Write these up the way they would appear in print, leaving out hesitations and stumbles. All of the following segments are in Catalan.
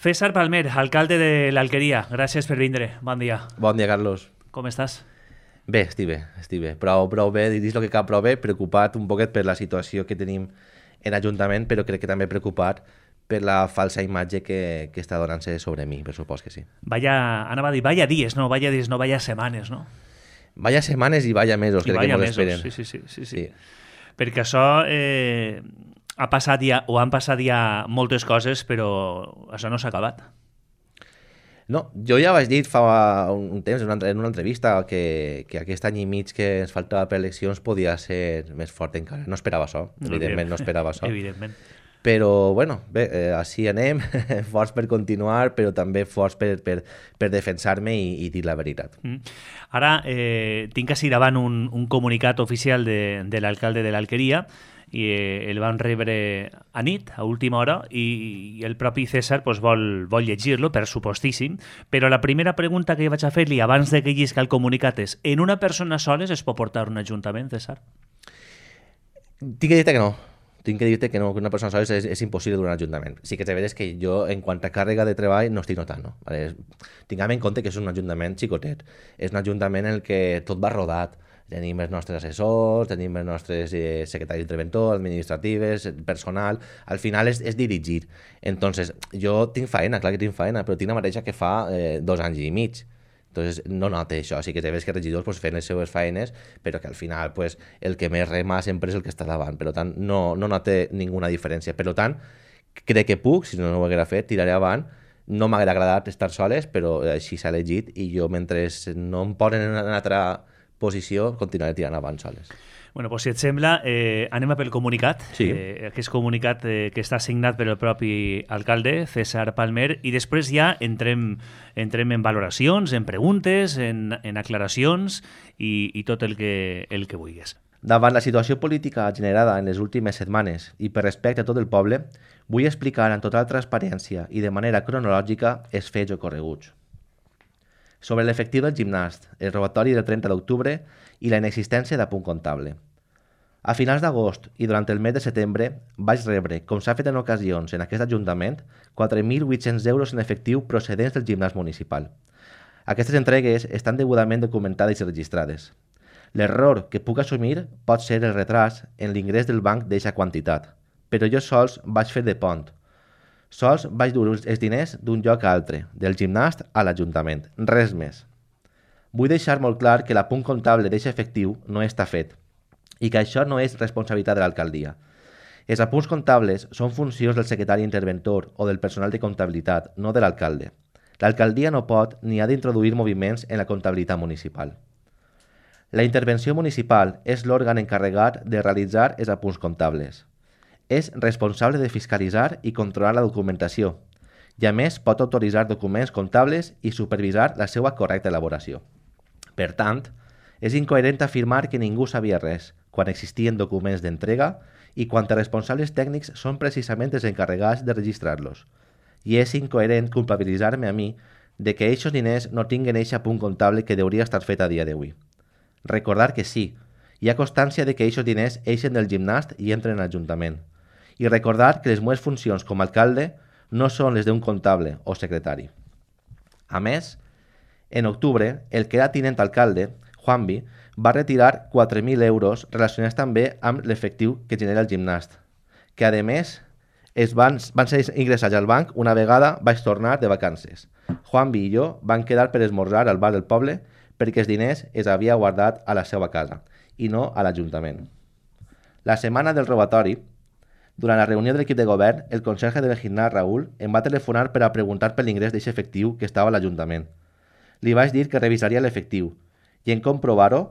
César Palmer, alcalde de l'Alqueria, gràcies per vindre. Bon dia. Bon dia, Carlos. Com estàs? Bé, estic bé. Prou bé, dins el que cal, prou bé, preocupat un poquet per la situació que tenim en l'Ajuntament, però crec que també preocupat per la falsa imatge que està donant-se sobre mi, per supost que sí. Anava a dir, vaya dies, no vaya setmanes, no? Vaya setmanes i vaya mesos, crec que molt esperen. Sí. Perquè això ha passat ja, o han passat ja moltes coses, però això no s'ha acabat. No, jo ja vaig dir fa un temps en una entrevista que aquest any i mig que ens faltava per eleccions podia ser més fort encara. No esperava això, evidentment no esperava això. Evidentment. Però, bueno, bé, així anem, forts per continuar, però també forts per defensar-me i dir la veritat. Ara, tinc així davant un comunicat oficial de l'alcalde de l'Alqueria, i el van rebre a nit, a última hora, i el propi César pues, vol llegir-lo, per supostíssim, però la primera pregunta que vaig a fer-li abans de que llisca el comunicat és: en una persona soles es pot portar un ajuntament, César? Tinc que dir-te que no. Tinc que dir-te que no, que una persona sola és impossible d'un ajuntament. Sí que és veritat que jo, en quant a càrrega de treball, no estic notant, no? Tinguem en compte que és un ajuntament xicotet. És un ajuntament en el que tot va rodat. Tenim els nostres assessors, tenim els nostres secretaris d'interventor, administratives, personal. Al final és dirigir. Entonces, jo tinc feina, clar que tinc feina, però tinc la mateixa que fa 2 anys i mig. Entonces, no nota això. Sí que té que regidors pues, fent les seves feines, però que al final pues, el que més rema sempre és el que està davant. Per tant, no nota ninguna diferència. Per tant, crec que puc, si no ho haguera fet, tiraré avant. No m'haguera agradat estar soles, però així s'ha elegit i jo, mentre no em posen en una altra posició, continuaré tirant avant soles. Bueno, pues, si et sembla, anem a pel comunicat. Sí. Aquest comunicat que està signat per el propi alcalde, César Palmer, i després ja entrem en valoracions, en preguntes, en aclaracions i tot el que vulguis. Davant la situació política generada en les últimes setmanes i per respecte a tot el poble, vull explicar amb total transparència i de manera cronològica els fets ocorreguts. Sobre l'efectiu del gimnàs, el robatori del 30 d'octubre i la inexistència d'apunt comptable. A finals d'agost i durant el mes de setembre vaig rebre, com s'ha fet en ocasions en aquest Ajuntament, 4.800 euros en efectiu procedents del gimnàs municipal. Aquestes entregues estan degudament documentades i registrades. L'error que puc assumir pot ser el retras en l'ingrés del banc d'eixa quantitat, però jo sols vaig fer de pont. Sols vaig dur els diners d'un lloc a altre, del gimnàs a l'Ajuntament, res més. Vull deixar molt clar que l'apunt comptable d'eixe efectiu no està fet i que això no és responsabilitat de l'alcaldia. Els apunts comptables són funcions del secretari interventor o del personal de comptabilitat, no de l'alcalde. L'alcaldia no pot ni ha d'introduir moviments en la comptabilitat municipal. La intervenció municipal és l'òrgan encarregat de realitzar els apunts comptables. És responsable de fiscalitzar i controlar la documentació i a més pot autoritzar documents comptables i supervisar la seva correcta elaboració. Per tant, és incoherent afirmar que ningú sabia res quan existien documents d'entrega i quan els responsables tècnics són precisament els encarregats de registrar-los. I és incoherent culpabilitzar-me a mi de que aquests diners no tinguen eixe punt comptable que hauria estar fet a dia d'avui. Recordar que sí, hi ha constància de que aquests diners eixen del gimnàs i entren a l'Ajuntament. I recordar que les meves funcions com a alcalde no són les d'un comptable o secretari. A més, en octubre, el que era tinent alcalde, Juanvi, va retirar 4.000 euros relacionats també amb l'efectiu que genera el gimnàs, que a més van ser ingressats al banc una vegada vaig tornar de vacances. Juanvi i jo van quedar per esmorzar al bar del poble perquè els diners els havia guardat a la seva casa i no a l'Ajuntament. La setmana del robatori, durant la reunió de l'equip de govern, el conserge del gimnàs, Raül, em va telefonar per a preguntar per l'ingrés d'aquest efectiu que estava a l'Ajuntament. Li vaig dir que revisaria l'efectiu i en comprovar-ho,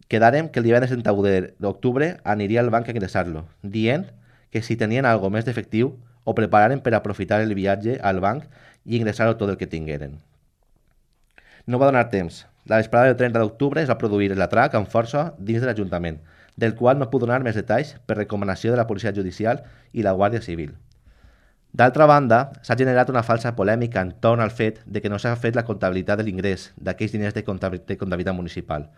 quedàrem que el dia 31 d'octubre aniria al banc a ingressar-lo, dient que si tenien algo més d'efectiu ho prepararen per aprofitar el viatge al banc i ingressar-ho tot el que tingueren. No va donar temps. La vesprada del 30 d'octubre es va produir l'atrac amb força dins de l'Ajuntament, del qual no puc donar més detalls per recomanació de la Policia Judicial i la Guàrdia Civil. D'altra banda, s'ha generat una falsa polèmica entorn al fet de que no s'ha fet la comptabilitat de l'ingrés d'aquells diners de comptabilitat municipal.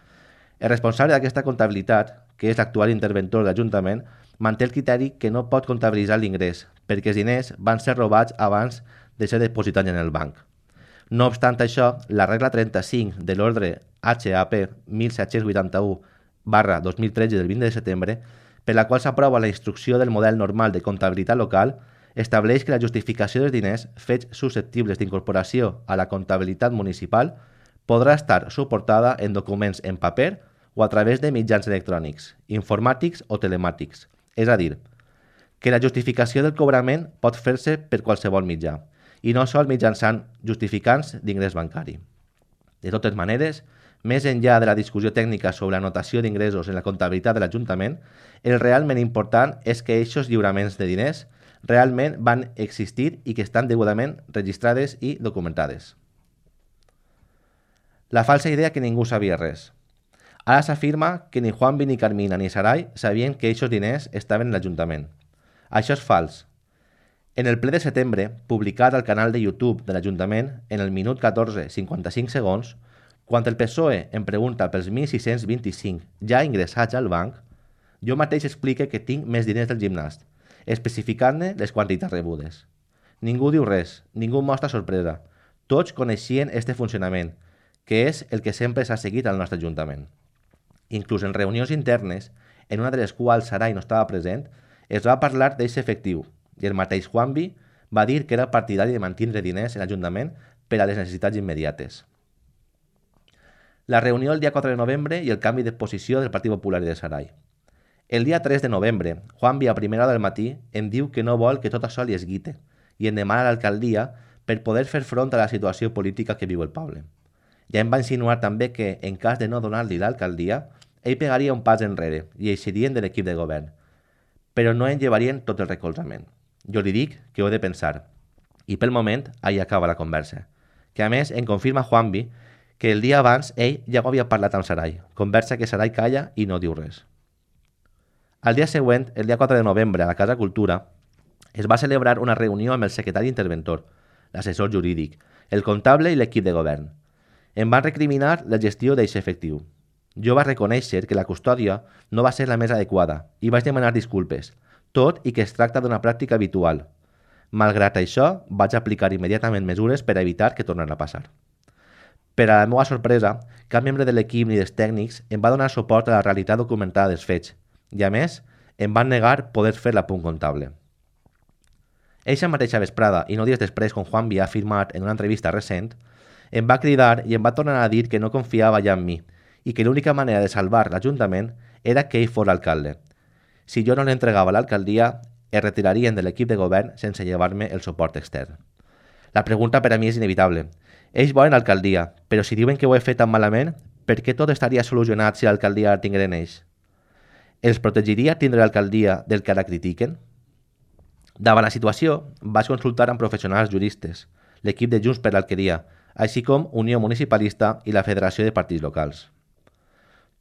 El responsable d'aquesta comptabilitat, que és l'actual interventor de l'Ajuntament, manté el criteri que no pot comptabilitzar l'ingrés, perquè els diners van ser robats abans de ser depositats en el banc. No obstant això, la regla 35 de l'ordre HAP 1781/2013 del 20 de setembre, per la qual s'aprova la instrucció del model normal de comptabilitat local, estableix que la justificació dels diners fets susceptibles d'incorporació a la comptabilitat municipal podrà estar suportada en documents en paper o a través de mitjans electrònics, informàtics o telemàtics. És a dir, que la justificació del cobrament pot fer-se per qualsevol mitjà, i no sols mitjançant justificants d'ingrés bancari. De totes maneres, més enllà de la discussió tècnica sobre la notació d'ingressos en la comptabilitat de l'Ajuntament, el realment important és que aquests lliuraments de diners realment van existir i que estan degudament registrades i documentades. La falsa idea que ningú sabia res. Ara s'afirma que ni Juanvi, ni Carmina, ni Sarai sabien que aquests diners estaven en l'Ajuntament. Això és fals. En el ple de setembre, publicat al canal de YouTube de l'Ajuntament en el minut 14:55 segons, quan el PSOE em pregunta pels 1.625 ja ingressats al banc, jo mateix explique que tinc més diners del gimnàs, especificant-ne les quantitats rebudes. Ningú diu res, ningú mostra sorpresa. Tots coneixien este funcionament, que és el que sempre s'ha seguit al nostre Ajuntament. Inclús en reunions internes, en una de les quals Sarai no estava present, es va parlar d'aquest efectiu, i el mateix Juanvi va dir que era partidari de mantenir diners en l'Ajuntament per a les necessitats immediates. La reunió el dia 4 de novembre i el canvi de posició del Partit Popular i de Sarai. El dia 3 de novembre, Juanvi a primera hora del matí em diu que no vol que tot això li esguite i em demana a l'alcaldia per poder fer front a la situació política que viu el poble. Ja em va insinuar també que, en cas de no donar-li l'alcaldia, ell pegaria un pas enrere i eixirien de l'equip de govern, però no en llevarien tot el recolzament. Jo li dic que ho he de pensar, i pel moment ahí acaba la conversa, que a més em confirma Juanvi que el dia abans ell ja ho havia parlat amb Sarai, conversa que Sarai calla i no diu res. Al dia següent, el dia 4 de novembre, a la Casa Cultura, es va celebrar una reunió amb el secretari interventor, l'assessor jurídic, el comptable i l'equip de govern. Em van recriminar la gestió d'aquest efectiu. Jo vaig reconèixer que la custòdia no va ser la més adequada i vaig demanar disculpes, tot i que es tracta d'una pràctica habitual. Malgrat això, vaig aplicar immediatament mesures per evitar que tornés a passar. Per a la meva sorpresa, cap membre de l'equip ni dels tècnics em va donar suport a la realitat documentada dels fets i, a més, em van negar poder fer l'apunt comptable. Eixa mateixa vesprada, i no dies després com Juanvi ha afirmat en una entrevista recent, em va cridar i em va tornar a dir que no confiava ja en mi i que l'única manera de salvar l'Ajuntament era que ell fos l'alcalde. Si jo no l'entregava a l'alcaldia, es retirarien de l'equip de govern sense llevar-me el suport extern. La pregunta per a mi és inevitable. Ells volen l'alcaldia, però si diuen que ho he fet tan malament, per què tot estaria solucionat si l'alcaldia la tingueren ells? Els protegiria tindre l'alcaldia del que ara critiquen? Davant la situació, vaig consultar amb professionals juristes, l'equip de Junts per l'Alqueria, així com Unió Municipalista i la Federació de Partits Locals.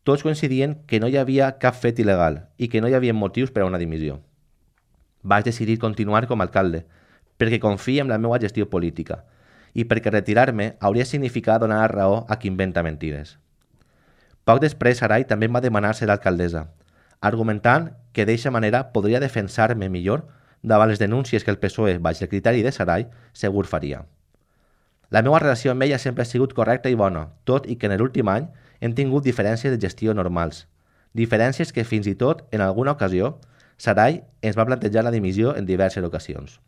Tots coincidien que no hi havia cap fet il·legal i que no hi havia motius per a una dimissió. Vaig decidir continuar com a alcalde, perquè confio en la meva gestió política i perquè retirar-me hauria significat donar raó a qui inventa mentides. Poc després, Sarai també em va demanar ser alcaldessa, argumentant que d'aquesta manera podria defensar-me millor davant les denúncies que el PSOE, baix el criteri de Sarai, segur faria. La meva relació amb ella sempre ha sigut correcta i bona, tot i que en l'últim any hem tingut diferències de gestió normals. Diferències que fins i tot, en alguna ocasió, Sarai ens va plantejar la dimissió en diverses ocasions.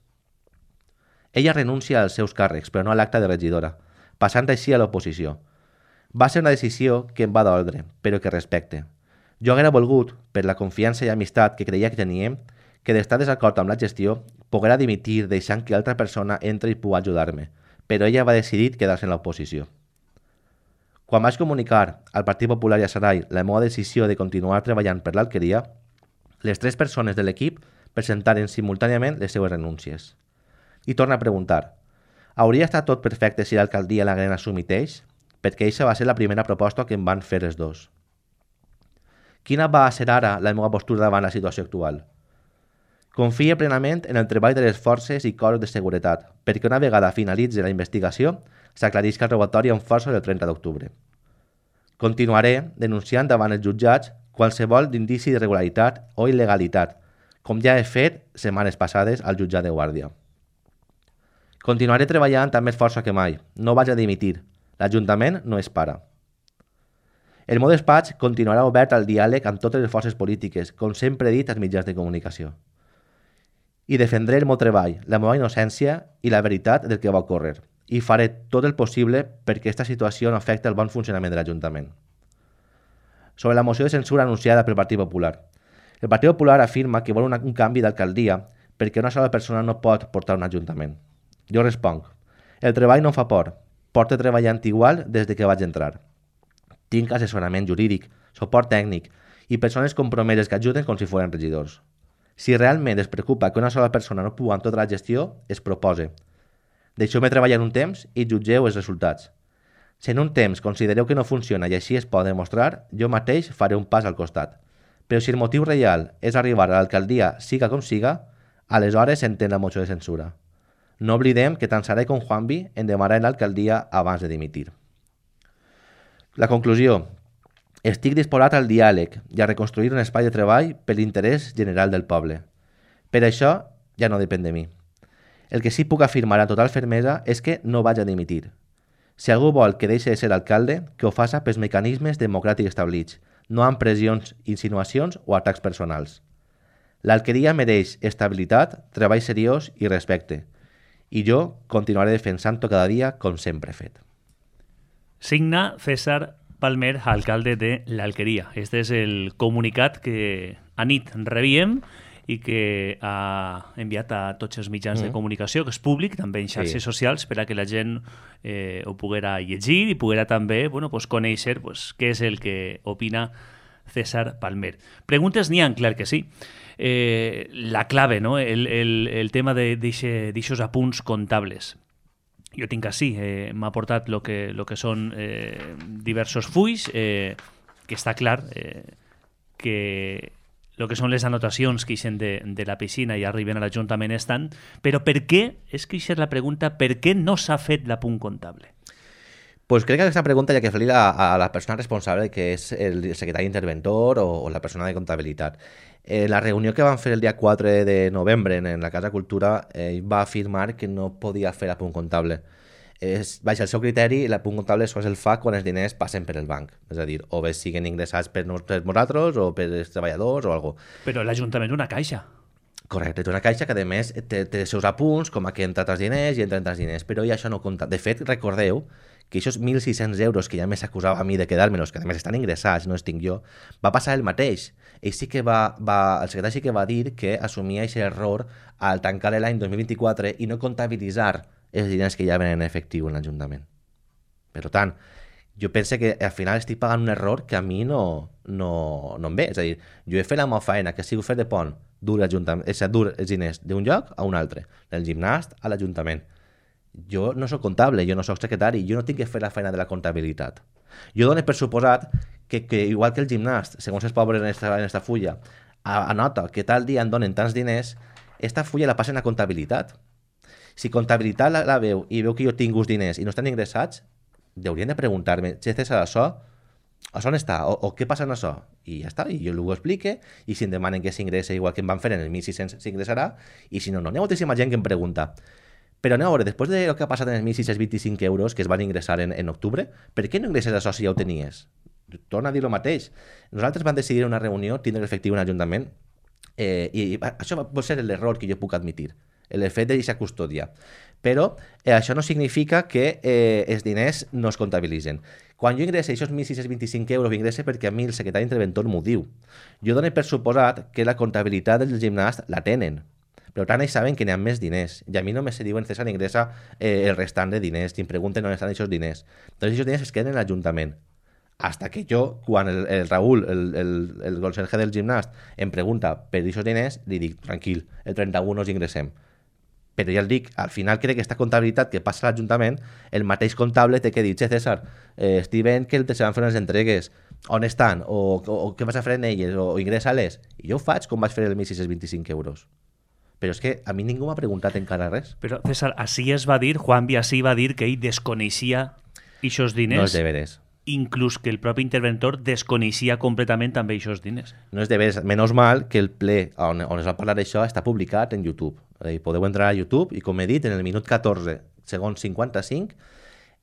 Ella renuncia als seus càrrecs, però no a l'acte de regidora, passant així a l'oposició. Va ser una decisió que em va d'ordre, però que respecte. Jo haguera volgut, per la confiança i amistat que creia que teníem, que d'estar desacord amb la gestió, poguera dimitir deixant que altra persona entri i pugui ajudar-me, però ella va decidir quedar-se en l'oposició. Quan vaig comunicar al Partit Popular i a Sarai la meva decisió de continuar treballant per l'Alqueria, les 3 persones de l'equip presentaren simultàniament les seues renúncies. I torna a preguntar, hauria estat tot perfecte si l'alcaldia l'hagueren assumit ells? Perquè aquesta va ser la primera proposta que em van fer els dos. Quina va ser ara la meva postura davant la situació actual? Confia plenament en el treball de les forces i cossos de seguretat, perquè una vegada finalitzi la investigació, s'aclarisca el robatori amb força del 30 d'octubre. Continuaré denunciant davant els jutjats qualsevol d'indici d'irregularitat o il·legalitat, com ja he fet setmanes passades al jutjat de Guàrdia. Continuaré treballant amb més força que mai. No vaig a dimitir. L'Ajuntament no es para. El meu despatx continuarà obert al diàleg amb totes les forces polítiques, com sempre he dit als mitjans de comunicació. I defendré el meu treball, la meva innocència i la veritat del que va ocórrer. I faré tot el possible perquè aquesta situació no afecti el bon funcionament de l'Ajuntament. Sobre la moció de censura anunciada pel Partit Popular. El Partit Popular afirma que vol un canvi d'alcaldia perquè una sola persona no pot portar un ajuntament. Jo responc, el treball no em fa por, porto treballant igual des de que vaig entrar. Tinc assessorament jurídic, suport tècnic i persones compromeses que ajuden com si foren regidors. Si realment es preocupa que una sola persona no pugui amb tota la gestió, es propose. Deixeu-me treballar un temps i jutgeu els resultats. Si en un temps considereu que no funciona i així es pot demostrar, jo mateix faré un pas al costat. Però si el motiu real és arribar a l'alcaldia siga com siga, aleshores s'entén la moció de censura. No oblidem que tant Saray com Juanvi en demanaran l'alcaldia abans de dimitir. La conclusió. Estic disposat al diàleg i a reconstruir un espai de treball per l'interès general del poble. Per això ja no depèn de mi. El que sí puc afirmar amb total fermesa és que no vaig a dimitir. Si algú vol que deixi de ser alcalde, que ho faça pels mecanismes democràtics establits, no amb pressions, insinuacions o atacs personals. L'alqueria mereix estabilitat, treball seriós i respecte. I jo continuaré defensant-ho cada dia com sempre he fet. Signa César Palmer, alcalde de l'Alqueria. Este és el comunicat que anit rebíem i que ha enviat a tots els mitjans de comunicació, que és públic, també en xarxes socials, per a que la gent ho poguera llegir i poguera també conèixer què és el que opina César Palmer. Preguntes n'hi ha, clar que sí. La clave, no? El tema d'aixos apunts comptables. Jo tinc així, m'ha portat el que són diversos fulls, que està clar que el que són les anotacions que ixen de la piscina i arriben a l'Ajuntament estan, però per què, és que aquesta és la pregunta, per què no s'ha fet l'apunt comptable? Pues crec que aquesta pregunta hi ha que fer-la a la persona responsable, que és el secretari interventor o la persona de comptabilitat. La reunió que van fer el dia 4 de novembre en la Casa Cultura va afirmar que no podia fer l'apunt comptable. Baix el seu criteri, l'apunt comptable sols el fa quan els diners passen per el banc. És a dir, o bé siguen ingressats per nosaltres o per els treballadors o alguna cosa. Però l'Ajuntament és una caixa. Correcte, és una caixa que a més té els seus apunts, com que entren els diners i entren els diners, però ja això no compta. De fet, recordeu que aquests 1.600 euros que ja més acusava a mi de quedar-me-los, que a més estan ingressats, no els tinc jo, va passar el mateix. Ell sí que el secretari sí que va dir que assumia aquest error al tancar l'any 2024 i no comptabilitzar els diners que ja venen en efectiu en l'Ajuntament. Per tant, jo penso que al final estic pagant un error que a mi no em ve. És a dir, jo he fet la meva feina, que sigui fer de pont, dur els diners d'un lloc a un altre, del gimnàs a l'Ajuntament. Jo no soc comptable, jo no soc secretari, jo no tinc que fer la feina de la comptabilitat. Jo dono per suposat que igual que el gimnàs, segons es posa en esta fulla, anota que tal dia em donen tants diners, esta fulla la passen a comptabilitat. Si comptabilitat la veu i veu que jo tinc uns diners i no estan ingressats, haurien de preguntar-me, César, això on està? O què passa amb això? I ja està, i jo ho explique, i si em demanen que s'ingressa igual que em van fer en el 1.600 s'ingressarà, i si no, hi ha moltíssima gent que em pregunta. Però anem a veure, després del que ha passat en els 1.625 euros que es van ingressar en octubre, per què no ingresses això si ja ho tenies? Torna a dir el mateix. Nosaltres vam decidir en una reunió tindre efectiu en l'Ajuntament i això pot ser l'error que jo puc admitir, el fet de deixar custòdia. Però això no significa que els diners no es comptabilitzen. Quan jo ingresso aquests 1.625 euros, ingresse perquè a mi el secretari interventor m'ho diu. Jo dono per suposat que la comptabilitat del gimnàs la tenen. Però tant ells saben que n'hi ha més diners. I a mi només se diuen César ingressa el restant de diners. I em pregunten on estan aquests diners. Doncs aquests diners es queden en l'Ajuntament. Hasta que jo, quan el Raül, el conserge del gimnàs, em pregunta per aquests diners, li dic, tranquil, el 31 els ingressem. Però ja el dic, al final crec que aquesta comptabilitat que passa a l'Ajuntament, el mateix comptable té que dir, César, estic veient que se van fer unes entregues, on estan, o què vas a fer en elles, o ingressa-les. I jo ho faig com vaig fer el 1.625 euros. Però és que a mi ningú m'ha preguntat encara res. Però, César, així es va dir, Juanvi així va dir que ell desconeixia aquests diners. No és de veres. inclús que el propi interventor desconeixia completament també aquests diners. No és de veres, menys mal que el ple on es va parlar d'això està publicat en YouTube. Podeu entrar a YouTube i, com he dit, en el minut 14, segons 55,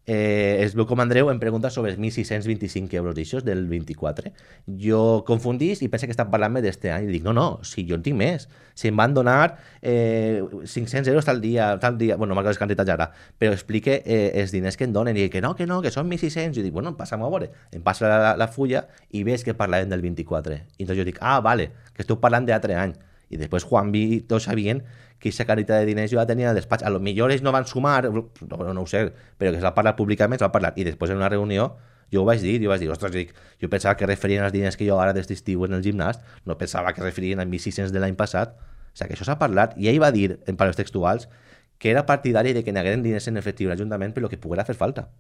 es veu com Andreu em pregunta sobre els 1.625 euros d'aixòs del 24. Jo confundís i penso que estan parlant-me d'este any. I dic, no, si jo en tinc més. Si em van donar 500 euros tal dia, bueno, no m'agrada les quantitats ara, però explique els diners que em donen. I dic que no, que són 1.600. I dic, bueno, passa'm a veure. Em passa la fulla i veig que parlàvem del 24. I doncs jo dic, vale, que esteu parlant d'altre any. I després Juan i tots sabien que aquesta carita de diners jo la tenia al despatx. A lo millor ells no van sumar, no ho sé, però que s'ha parlat públicament, s'ha parlat. I després en una reunió jo ho vaig dir, ostres, jo pensava que referien als diners que jo ara d'este estiu en el gimnàs, no pensava que referien als 1.600 de l'any passat. O sigui, que això s'ha parlat. I ell va dir, en paraules textuals, que era partidari de que n'hagueren diners en efectiu a l'Ajuntament per lo que poguera fer falta.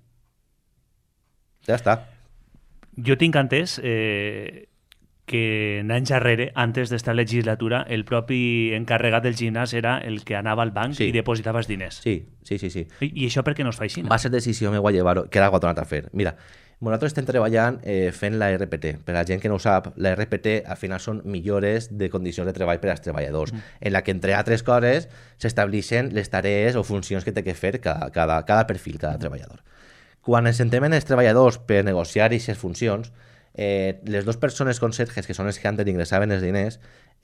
Ja està. Jo tinc entès que anys darrere, antes d'esta legislatura, el propi encarregat del gimnàs era el que anava al banc i depositava els diners. Sí. I això per què no es fa així? Va ser decisió meva llevar-ho, que era algo tornat a fer. Mira, nosaltres estem treballant fent la RPT. Per a la gent que no ho sap, la RPT al final són millores de condicions de treball per als treballadors, en la que, entre altres coses, s'estableixen les tarees o funcions que té que fer cada perfil, cada treballador. Quan ens sentem en els treballadors per negociar aquestes funcions, les dues persones conserges, que són els que antes ingressaven els diners,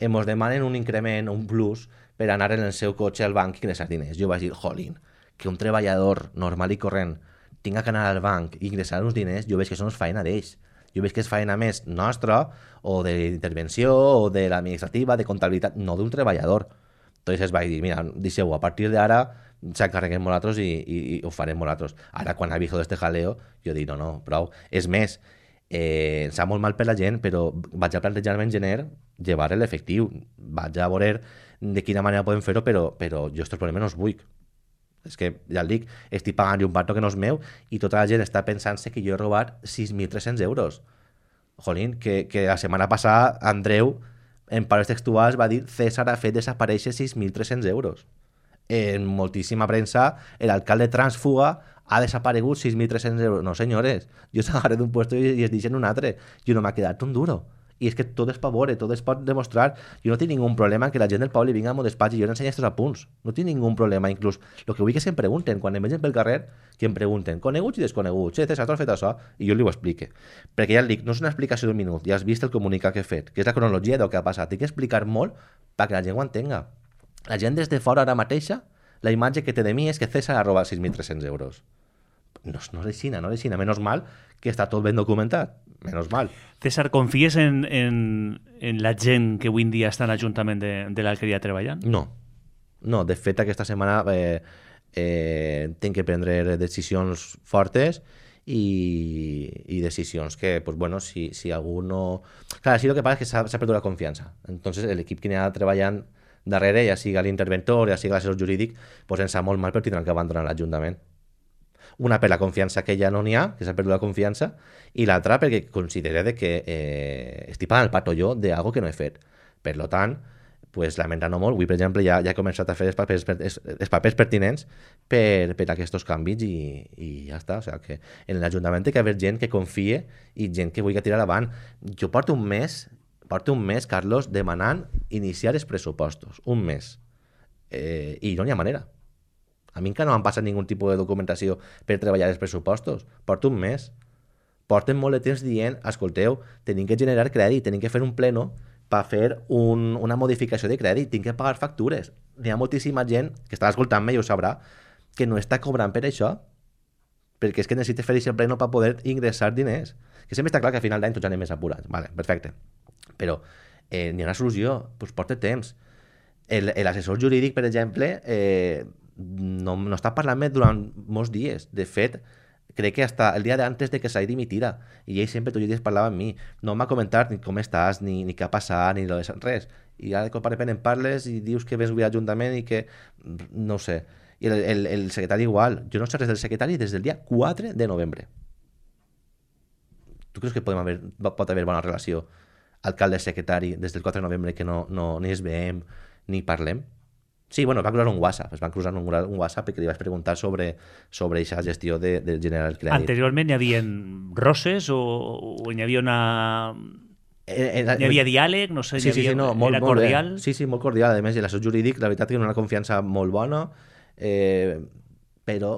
ens demanen un increment, un plus, per anar en el seu cotxe al banc i ingressar diners. Jo vaig dir, jolín, que un treballador normal i corrent tinga que anar al banc i ingressar uns diners, jo veig que això no és feina d'ells. Jo veig que és feina més nostra, o d'intervenció, o de l'administrativa, de comptabilitat, no d'un treballador. Entonces vaig dir, mira, deixeu-ho, a partir d'ara s'encarreguem nosaltres i ho farem nosaltres. Ara, quan ha vist este jaleo, jo dic, no, prou. És més, em sap molt mal per la gent, però vaig a plantejar-me en gener llevar l'efectiu. Vaig a veure de quina manera podem fer-ho, però jo estos problemes no els vull. És que, ja el dic, estic pagant un parto que no és meu i tota la gent està pensant-se que jo he robat 6.300 euros. Jolín, que la setmana passada Andreu, en paraules textuals, va dir César ha fet desaparèixer 6.300 euros. En moltíssima premsa, l'alcalde transfuga ha desaparegut 6.300 euros. No, senyores, jo s'agarré d'un puesto i es deixen un altre. Jo no m'ha quedat un duro. I és que tot es pot veure, tot es pot demostrar. Jo no tinc ningú problema que la gent del poble vinga al meu despatx i jo l'ensenyi estos apunts. No tinc ningú problema, inclús. El que vull que se'm pregunten, quan em vegin pel carrer, que em pregunten, coneguts i desconeguts, César, t'has fet això? I jo li ho explique. Perquè ja el dic, no és una explicació d'un minut, ja has vist el comunicat que he fet, que és la cronologia del que ha passat. Tinc que explicar molt perquè la gent ho entenga. La gent des de fora ara mateixa, la imatge que té de mi és que César ha robat 6.300 euros. No és així, no és així. Menys mal que està tot ben documentat. Menys mal. César, confies en la gent que avui en dia està en l'Ajuntament de l'Alqueria treballant? No. De fet, aquesta setmana tinc que prendre decisions fortes i decisions que, pues bueno, si algú no... Clar, sí, el que passa és que s'ha perdut la confiança. Entonces, l'equip que n'hi ha treballant darrere, ja siga l'interventor, ja siga l'assessor jurídic, pues ens sap molt mal, però tindran que abandonar l'Ajuntament. Una per la confiança que ja no n'hi ha, que s'ha perdut la confiança, i l'altra perquè considera que estic pagant el pato jo d'algo que no he fet. Per tant, pues, lamentant-ho molt, avui, per exemple, ja he començat a fer els papers pertinents per aquests canvis i ja està. O sigui, que en l'Ajuntament té que haver gent que confie i gent que vulgui tirar avant. Jo porto un mes, Carlos, demanant iniciar els pressupostos. Un mes. I no n'hi ha manera. A mi encara no m'han passat ningun tipus de documentació per treballar els pressupostos. Porto un mes. Porten molt de temps dient, escolteu, tenim que generar crèdit, tenim que fer un pleno per fer una modificació de crèdit, tinc que pagar factures. N'hi ha moltíssima gent que està escoltant-me i ho sabrà, que no està cobrant per això, perquè és que necessita fer aquest pleno per poder ingressar diners. Que sempre està clar que a final d'any tots anem més apurats. Vale, perfecte. Però n'hi ha una solució, doncs porta temps. L'assessor jurídic, per exemple, no està parlant-me durant molts dies. De fet, crec que hasta el dia d'antes de que s'hagi dimitira, i ell sempre tots els dies parlava amb mi, no m'ha comentat ni com estàs, ni què ha passat, ni res, i ara de cop a repent em parles i dius que vens avui a l'Ajuntament i que no ho sé. I el secretari igual, jo no sé res del secretari des del dia 4 de novembre. Tu creus que pot haver bona relació alcalde-secretari des del 4 de novembre que no ni es veiem ni parlem? Sí, bueno, es va cruzar un WhatsApp, es va cruzar un WhatsApp perquè li vaig preguntar sobre aquesta gestió del General Credit. Anteriorment hi havia roses o hi havia hi havia diàleg, no sé, sí, sí, sí, no, molt, era molt cordial. bé. Sí, sí, molt cordial. A més, l'assessor jurídic, la veritat que una confiança molt bona, però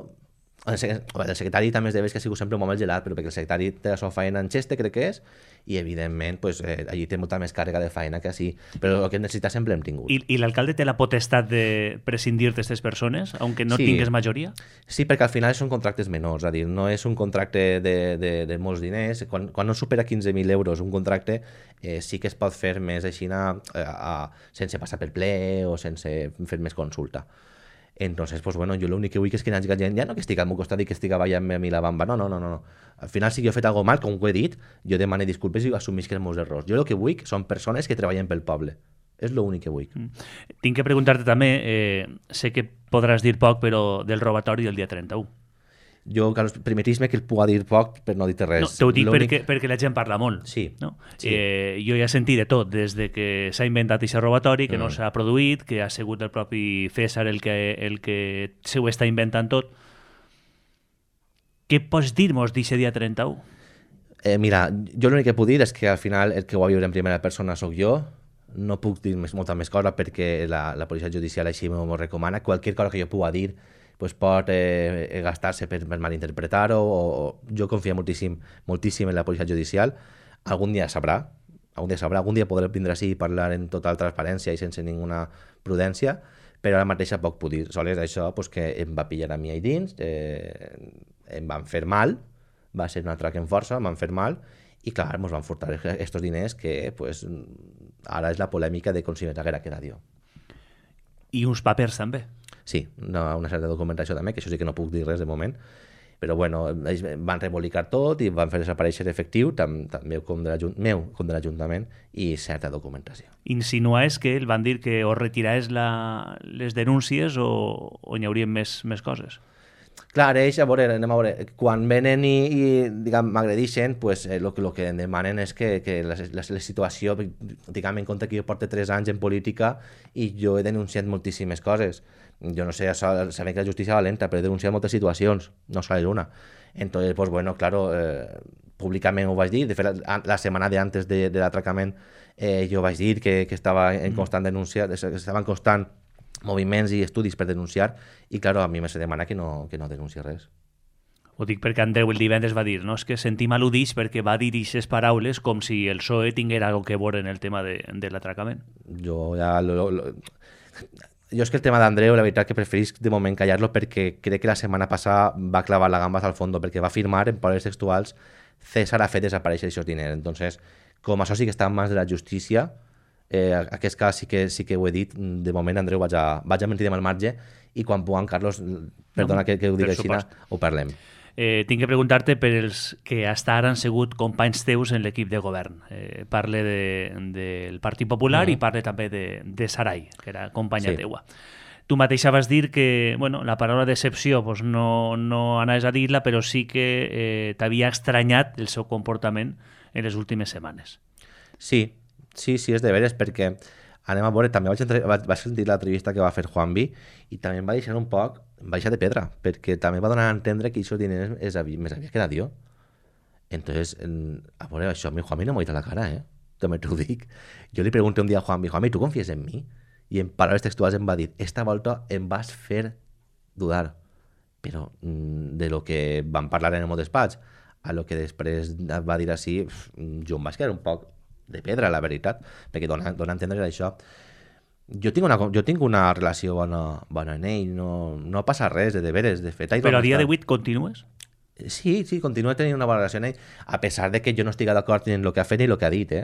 el secretari també es deu que ha sigut sempre un moment gelat, però perquè el secretari té la seva feina en Xeste, crec que és, i evidentment pues, allí té molta més càrrega de feina que així, però el que necessita sempre hem tingut. I l'alcalde té la potestat de prescindir d'aquestes persones, aunque no Sí. tingues majoria? Sí, perquè al final són contractes menors, és a dir, no és un contracte de molts diners. Quan no supera 15.000 euros un contracte, sí que es pot fer més així sense passar per ple o sense fer més consulta. Entonces, pues bueno, jo l'únic que vull és que hi hagi gent, ja no que estigui al meu costat i que estigui ballant a mi la bamba, no. Al final, si jo he fet alguna mal, com ho he dit, jo demano disculpes i assumisc els meus errors. Jo el que vull són persones que treballen pel poble. És l'únic que vull. Tinc que preguntar-te també, sé que podràs dir poc, però del robatori del dia 31. Jo, Carlos, permetis-me que el puga dir poc per no dir-te res. No, t'ho dic perquè la gent parla molt. Sí. No? Sí. Jo ja he sentit de tot, des de que s'ha inventat aquest robatori, que no s'ha produït, que ha sigut el propi César el que se ho està inventant tot. Què pots dir-nos d'aquest dia 31? Mira, jo l'únic que puc dir és que al final el que ho va viure en primera persona sóc jo. No puc dir molta més cosa perquè la policia judicial així m'ho recomana. Qualsevol cosa que jo pugui dir pues pot gastar-se per malinterpretar-ho, o jo confio moltíssim en la policia judicial. Algun dia sabrà, algun dia podré vindre així i parlar en total transparència i sense ninguna prudència, però ara mateix poc puc dir. Sols això pues, que em va pillar a mi ahí dins, em van fer mal, va ser un atrac en força, em van fer mal, i clar, ens van furtar aquests diners que pues, ara és la polèmica de com si m'haguera quedat jo. I uns papers també. Sí, una certa documentació també, que això sí que no puc dir res de moment, però bueno, ells van rebolicar tot i van fer desaparèixer efectiu, tant meu com de l'Ajuntament, i certa documentació. Insinuaves que el van dir que o retiraves les denúncies o hi haurien més coses. Clar, ells, anem a veure, quan venen i diguem, m'agredixen, pues, el que em demanen és que la situació, diguem, en compte que jo porto 3 anys en política i jo he denunciat moltíssimes coses. Jo no sé, sabem que la justícia va lenta, però he denunciat moltes situacions, no sale una. Entonces, pues bueno, claro, públicament ho vaig dir. De fet, la setmana d'antes de l'atracament jo vaig dir que estava en constant denúncia, que estava en constant moviments i estudis per denunciar, i claro, a mi me se demana que no denunci res. Ho dic perquè Andreu el divendres va dir, no? És que sentim al·ludix perquè va dir aquestes paraules com si el PSOE tinguera alguna que veure en el tema de l'atracament. Jo és que el tema d'Andreu, la veritat que preferisc de moment callar-lo, perquè crec que la setmana passada va clavar la gamba al fondo, perquè va afirmar en paraules textuals César ha fet desaparèixer aquests diners. Entonces, com això sí que està en mans de la justícia, aquest cas sí que ho he dit, de moment Andreu vaig a mentir al marge, i quan puguem, Carlos, perdona que ho digui així, ho parlem. Tinc que preguntar-te per els que fins ara han sigut companys teus en l'equip de govern. Parle del Partit Popular i parle també de Sarai, que era companya teua. Tu mateixa vas dir que la paraula decepció pues, no anaves a dir-la, però sí que t'havia estranyat el seu comportament en les últimes setmanes. Sí, és de veres, perquè anem a veure, també vaig sentir l'entrevista que va fer Juanvi i també em va deixar un poc baixa de pedra, perquè també va donar a entendre que aquests diners més havia quedat jo. Entonces, a veure, això a mi Juanvi no m'ho ha dit a la cara, també t'ho dic. Jo li pregunté un dia a Juanvi, ¿tu confíes en mi? I en paraules textuals em va dir, esta volta em vas fer dudar, però de lo que vam parlar en el meu despatx a lo que després va dir així, jo em vaig quedar un poc de pedra, la veritat, perquè dona a entendre això. Jo tinc una relació bona amb ell, no passa res, de veres, de fet. Però a dia d'avui continues? Sí, continuo tenint una bona relació amb ell, a pesar de que jo no estigui d'acord en el que ha fet ni el que ha dit,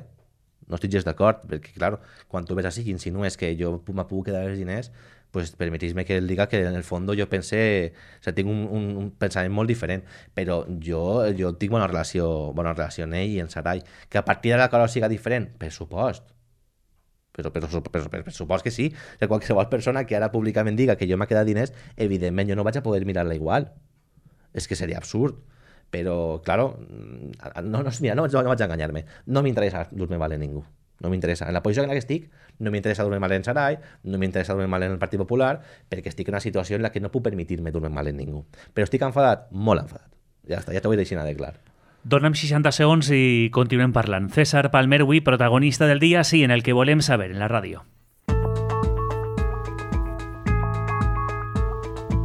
No estic gens d'acord, perquè, clar, quan tu ves així i insinues que jo me puc quedar els diners, pues permetís-me que el diga que en el fons jo pense, o sigui, tinc un pensament molt diferent, però jo tinc bona relació amb ell i en Sarai. Que a partir de la cosa siga diferent, per supost. Per supost que sí. Que qualsevol persona que ara públicament diga que jo m'ha quedat diners, evidentment jo no vaig a poder mirar-la igual. És que seria absurd. Però, claro, mira, no vaig a enganyar-me. No m'interessa dur-me mal a ningú. No m'interessa. En la posició en la que estic, no m'interessa dormir mal en Sarai, no m'interessa dormir mal en el Partit Popular, perquè estic en una situació en la que no puc permetir-me dormir mal en ningú. Però estic enfadat? Molt enfadat. Ja està, ja t'ho vull deixar de clar. Dona'm 60 segons i continuem parlant. César Palmer, avui protagonista del dia, sí, en el que volem saber, en la ràdio.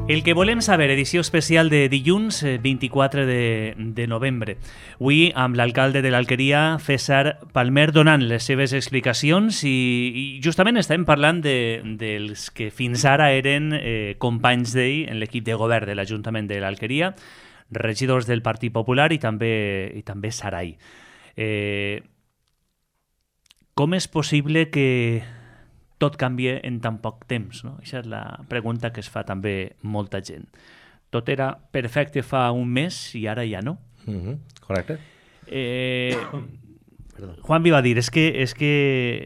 El que volem saber, edició especial de dilluns 24 de novembre. Avui amb l'alcalde de l'Alqueria, César Palmer, donant les seves explicacions i justament estem parlant dels que fins ara eren companys d'ell en l'equip de govern de l'Ajuntament de l'Alqueria, regidors del Partit Popular i també Sarai. Com és possible que tot canvia en tan poc temps, no? Aquesta és la pregunta que es fa també molta gent. Tot era perfecte fa un mes i ara ja no. Correcte. Juanvi va dir, és que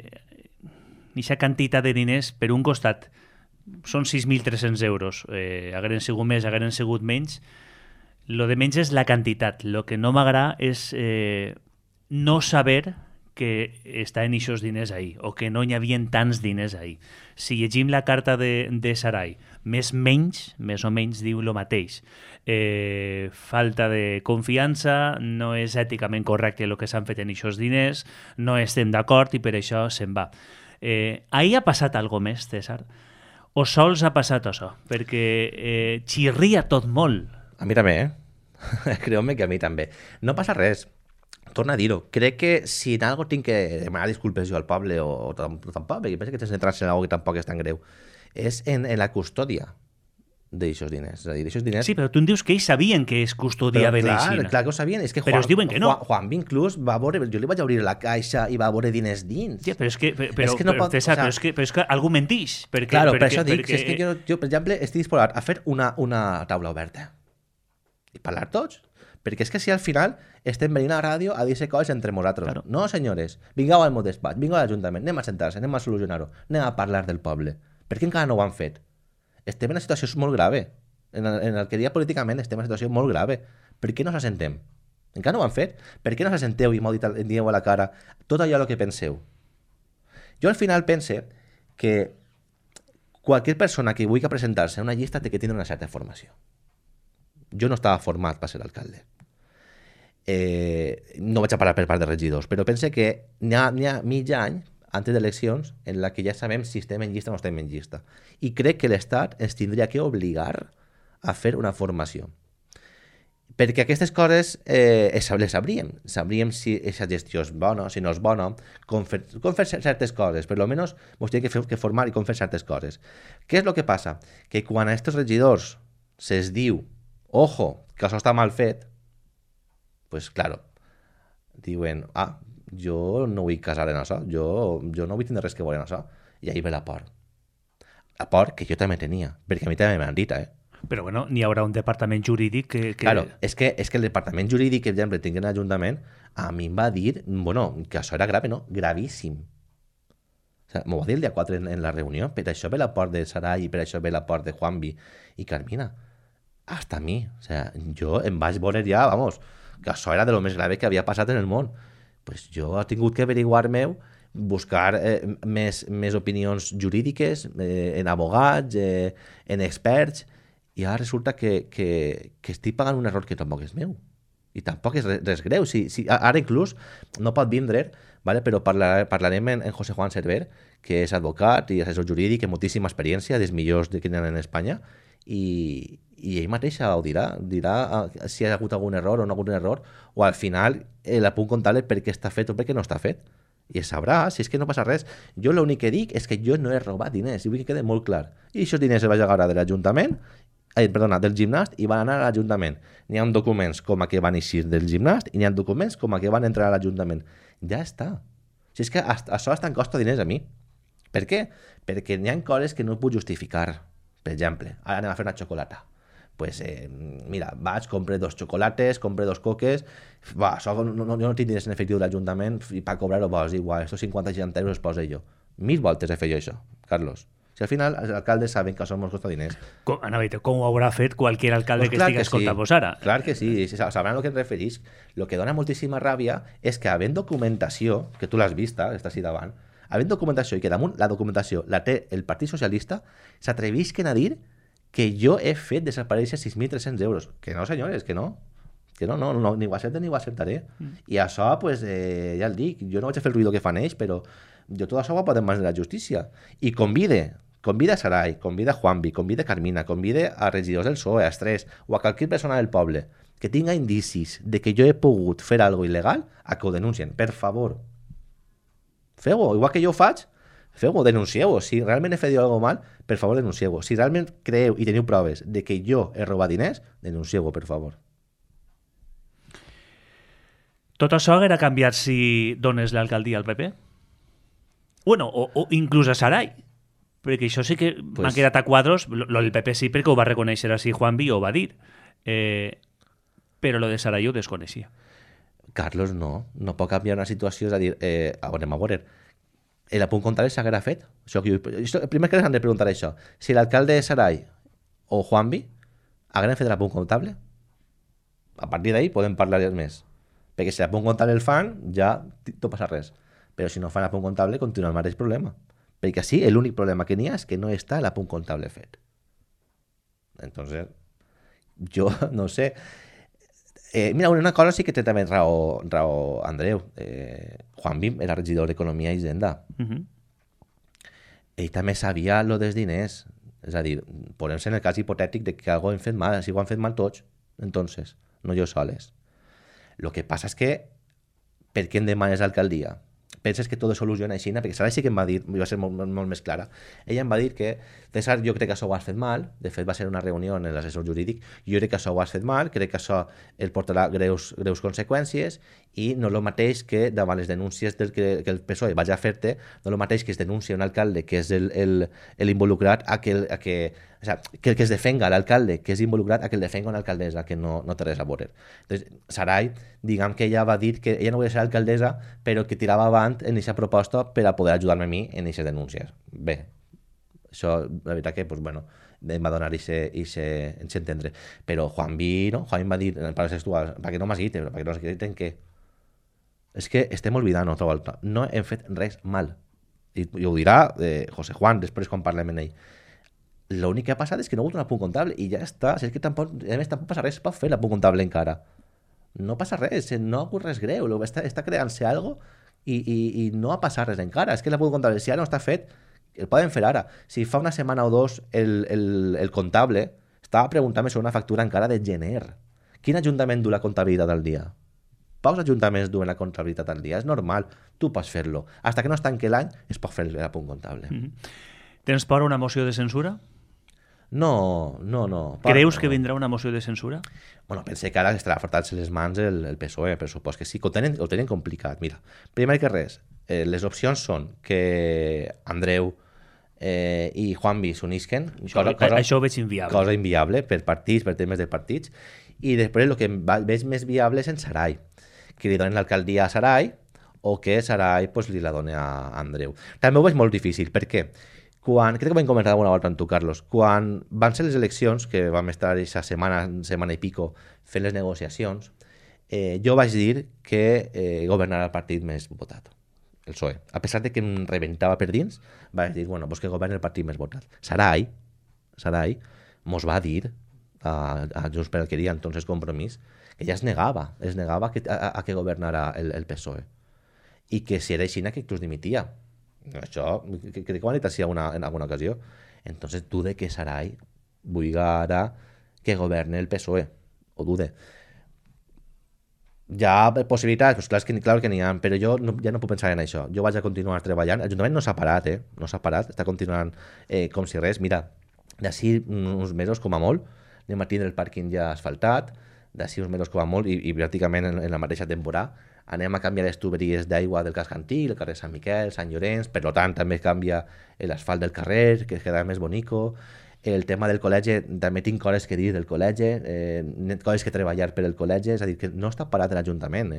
aquesta quantitat de diners, per un costat, són 6.300 euros. Hagueren sigut més, hagueren sigut menys. Lo de menys és la quantitat. Lo que no m'agrada és no saber que està en aquests diners ahí, o que no hi havia tants diners ahí. Si llegim la carta de Sarai, més o menys diu el mateix. Falta de confiança, no és èticament correcte el que s'han fet en aquests diners, no estem d'acord i per això se'n va. Ahí ha passat alguna més, César? O sols ha passat això? Perquè xirria tot molt. A mi també, Creu-me que a mi també. No passa res. Torna a dir-ho. Crec que si en algo tinc que demanar disculpes jo al poble o tampoc, perquè penso que t'has centrat-se en algo que tampoc és tan greu, és en la custòdia d'aixòs diners. És a dir, d'aixòs diners... Sí, però tu em dius que ells sabien que es custodiaven així. Clar que ho sabien. És que però es diuen que no. Juanvi inclús va veure... Jo li vaig obrir la caixa i va veure diners dins. Sí, però és que... César, però és que algú mentix. Claro, per això dic. És que jo, per exemple, estic disposat a fer una taula oberta i parlar tots. Perquè és que si al final estem venint a la ràdio a dir-se coses entre nosaltres. Claro. No, senyores, vingueu al meu despatx, vingueu a l'Ajuntament, anem a sentar-se, anem a solucionar-ho, anem a parlar del poble. Per què encara no ho han fet? Estem en una situació molt grave. En el que dia políticament estem en una situació molt grave. Per què no s'assentem? Encara no ho han fet? Per què no s'assenteu i m'ho dieu a la cara tot allò que penseu? Jo al final pense que qualsevol persona que vulgui presentar-se a una llista té que tindre una certa formació. Jo no estava format per ser alcalde. No vaig a parlar per part de regidors, però pense que n'hi ha mig any antes d'eleccions en la que ja sabem si estem en llista o no estem en llista. I crec que l'Estat ens tindria que obligar a fer una formació. Perquè aquestes coses les sabríem. Sabríem si aquesta gestió és bona, si no és bona, com fer certes coses. Per almenys ens tindria que formar i com fer certes coses. Què és el que passa? Que quan a aquests regidors se'ls diu ojo, que això està mal fet, pues claro, diuen, jo no vull casar en això, jo no vull tenir res que veure en això. I ahí ve la por. La por que jo també tenia, perquè a mi també m'han dit, Però bueno, n'hi haurà un departament jurídic que... Claro, és que el departament jurídic, per exemple, tinc en l'Ajuntament, a mi em va dir, que això era grave, no? Gravíssim. O sea, m'ho va dir el dia 4 en la reunió, per això ve la por de Sarai i per això ve la por de Juanvi i Carmina. Hasta a mi. O sea, jo em vaig veure ja, vamos, que això era de lo més grave que havia passat en el món. Pues jo he tingut que averiguar-me, buscar més opinions jurídiques, en abogats, en experts, i ara resulta que estic pagant un error que tampoc és meu. I tampoc és res greu. Ara inclús no pot vindre, ¿vale? Però parlarem en José Juan Cerver, que és advocat i assessor jurídic amb moltíssima experiència, dels millors que tenen en Espanya, i ell mateixa ho dirà si hi ha hagut algun error o no ha hagut un error, o al final el punt comptable per què està fet o per què no està fet. I es sabrà, si és que no passa res. Jo l'únic que dic és que jo no he robat diners, i vull que quede molt clar. I aquests diners es van agafar de l'Ajuntament, del gimnast, i van anar a l'Ajuntament. N'hi ha documents com a que van eixir del gimnast i n'hi ha documents com a que van entrar a l'Ajuntament. Ja està. Si és que això hasta em costa diners a mi. Per què? Perquè n'hi ha coses que no puc justificar. Per exemple, ara anem a fer una xocolata. Pues, mira, vaig, compre 2 xocolates, compre 2 coques, això jo no tinc diners en efectiu de l'Ajuntament i per cobrar-ho, igual, estos 50-60 euros els poso jo. 1000 voltes he fet jo això, Carlos. Si al final els alcaldes saben que això ens costa diners. Com ho haurà fet qualsevol alcalde que estigui escoltant-vos ara? Clar que sí, sabran a què em referís. El que dona moltíssima ràbia és que havent documentació, que tu l'has vista, està així davant, havent documentació i que damunt la documentació la té el Partit Socialista, s'atrevisquen a dir que jo he fet desaparèixer 6.300 euros. Que no, senyores, que no. Que no, ni ho accepten ni ho acceptaré. I això, pues, ja el dic, jo no vaig a fer el ruïdo que fan ells, però jo tot això ho podem mans de la justícia. I convida a Sarai, convida a Juanvi, convida a Carmina, convida a regidors del PSOE, a Estrès, o a qualsevol persona del poble que tinga indicis de que jo he pogut fer algo il·legal, a que ho denuncien, per favor. Feu-ho, igual que jo ho faig, feu-ho, denuncieu-ho. Si realment he fet alguna cosa mal, per favor, denuncieu-ho. Si realment creieu i teniu proves de que jo he robat diners, denuncieu-ho, per favor. Tot això haguera canviat si dones l'alcaldia al PP? Bueno, o inclús a Sarai. Perquè això sí que m'ha quedat a quadros. El PP sí, perquè ho va reconèixer així Juanvi i ho va dir. Però lo de Sarai ho desconeixia. Carlos, no pot canviar una situació, és a dir, anem a veure, l'apunt comptable s'haguera fet? El primer que han de preguntar això, si l'alcalde de Sarai o Juanvi hagueren fet l'apunt comptable, a partir d'ahí podem parlar més, perquè si l'apunt comptable el fan, ja no passa res, però si no fan l'apunt comptable continua el mateix problema, perquè així l'únic problema que n'hi ha és que no està l'apunt comptable fet. Entonces, jo no sé. Mira, una cosa sí que té també raó Andreu. Juanvi era regidor d'Economia i Hisenda. Ell també sabia lo dels diners. És a dir, posem-se en el cas hipotètic de que algo hem fet mal, si ho han fet mal tots, entonces, no jo soles. Lo que passa és que per què em demanes l'alcaldia? Penses que tot es soluciona així? Perquè Sarai sí que em va dir, va ser molt més clara, ella em va dir que César, jo crec que això ho has fet mal, de fet va ser una reunió en l'assessor jurídic, jo crec que això ho has fet mal, crec que això el portarà greus conseqüències i no el mateix que davant les denúncies que el PSOE vagi a fer-te, no el mateix que es denuncia un alcalde que és l'involucrat que es defenga l'alcalde que és involucrat a que el defenga una alcaldessa que no té res a veure. Entonces, Sarai, diguem que ella va dir que ella no volia ser alcaldessa però que tirava avant en aquesta proposta per a poder ajudar-me a mi en aquestes denúncies. Bé, això, la veritat que, pues, bueno, em va donar aquest entendre. Però Juanvi, no? Juanvi va dir, en paraules textuals, perquè no m'has dit, perquè no m'has dit en què? És que estem oblidant altra volta. No hem fet res mal. I ho dirà José Juan després quan parlem amb ell. L'únic que ha passat és que no ha hagut un apunt comptable i ja està. Si és que tampoc passa res, es pot fer l'apunt comptable encara. No passa res, no ha hagut res greu. Està creant-se alguna cosa i no ha passat res encara. És que l'apunt comptable, si ara no està fet, el poden fer ara. Si fa una setmana o dos el comptable estava preguntant-me sobre una factura encara de gener. Quin ajuntament du la comptabilitat al dia? Pocs ajuntaments duen la comptabilitat al dia. És normal, tu pots fer-lo. Hasta que no es tanque l'any es pot fer l'apunt comptable. Tens por a una moció de censura? No. Creus que vindrà una moció de censura? Bueno, pense que ara estarà frotant-se les mans el PSOE, per supòs que sí, que ho tenen complicat. Mira, primer que res, les opcions són que Andreu i Juanvi s'unisquen. Això ho veig inviable. Cosa inviable per partits, per temes de partits. I després el que veig més viable és en Sarai, que li donen l'alcaldia a Sarai o que Sarai pues, li la doni a Andreu. També ho veig molt difícil, perquè crec que ho vam comentar alguna volta amb tu, Carlos, quan van ser les eleccions, que vam estar aquesta setmana i pico fent les negociacions, jo vaig dir que governarà el partit més votat, el PSOE. A pesar de que em rebentava per dins, vaig dir, bueno, pues que governi el partit més votat. Sarai mos va dir a Junts per Alqueria, entonces Compromís, que ja es negava a que governara el PSOE. I que si era així, que inclús dimitia. Això, crec que ho han dit així en alguna ocasió. Entonces dude que Sarai vulgui ara que governe el PSOE. O dude. Hi ha possibilitats, pues clar que n'hi ha, però jo ja no puc pensar en això. Jo vaig a continuar treballant. L'Ajuntament no s'ha parat, no s'ha parat, està continuant com si res. Mira, d'ací uns mesos com a molt, anem a tindre el pàrquing ja asfaltat, d'ací uns mesos com a molt, i pràcticament en la mateixa temporada, anem a canviar les tuberies d'aigua del casc antic, el carrer Sant Miquel, Sant Llorenç, per tant també canvia l'asfalt del carrer, que queda més bonico. El tema del col·legi, també tinc coses que dir del col·legi, coses que treballar per el col·legi, és a dir, que no està parat l'Ajuntament,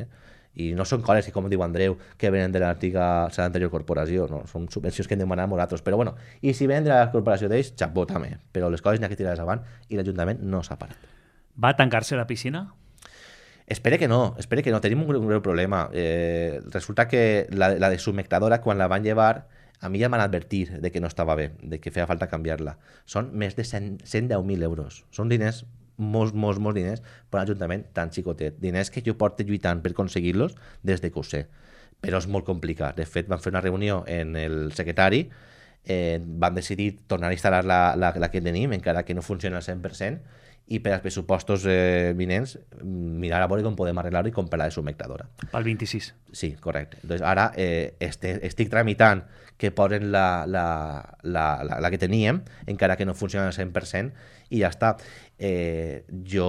I no són coses que, com diu Andreu, que venen de l'anterior corporació, no? Són subvencions que hem demanat nosaltres. Però bueno, i si venen de la corporació d'ells, xapó també. Però les coses n'hi ha que tirar-les avant i l'Ajuntament no s'ha parat. Va tancar-se la piscina? Espere que no. Tenim un greu problema. Resulta que la de submectadora, quan la van llevar, a mi ja m'han advertit de que no estava bé, de que feia falta canviar-la. Són més de 110.000 euros. Són diners, molts diners, per un ajuntament tan xicotet. Diners que jo porto lluitant per aconseguir-los des de que ho sé. Però és molt complicat. De fet, van fer una reunió en el secretari, van decidir tornar a instal·lar la que tenim, encara que no funciona al 100%, i per als pressupostos vinents mirar a veure com podem arreglar-ho i comprar la de submectadora. Pel 26. Sí, correcte. Entonces, ara estic tramitant que posen la que teníem, encara que no funciona al 100%, i ja està. Jo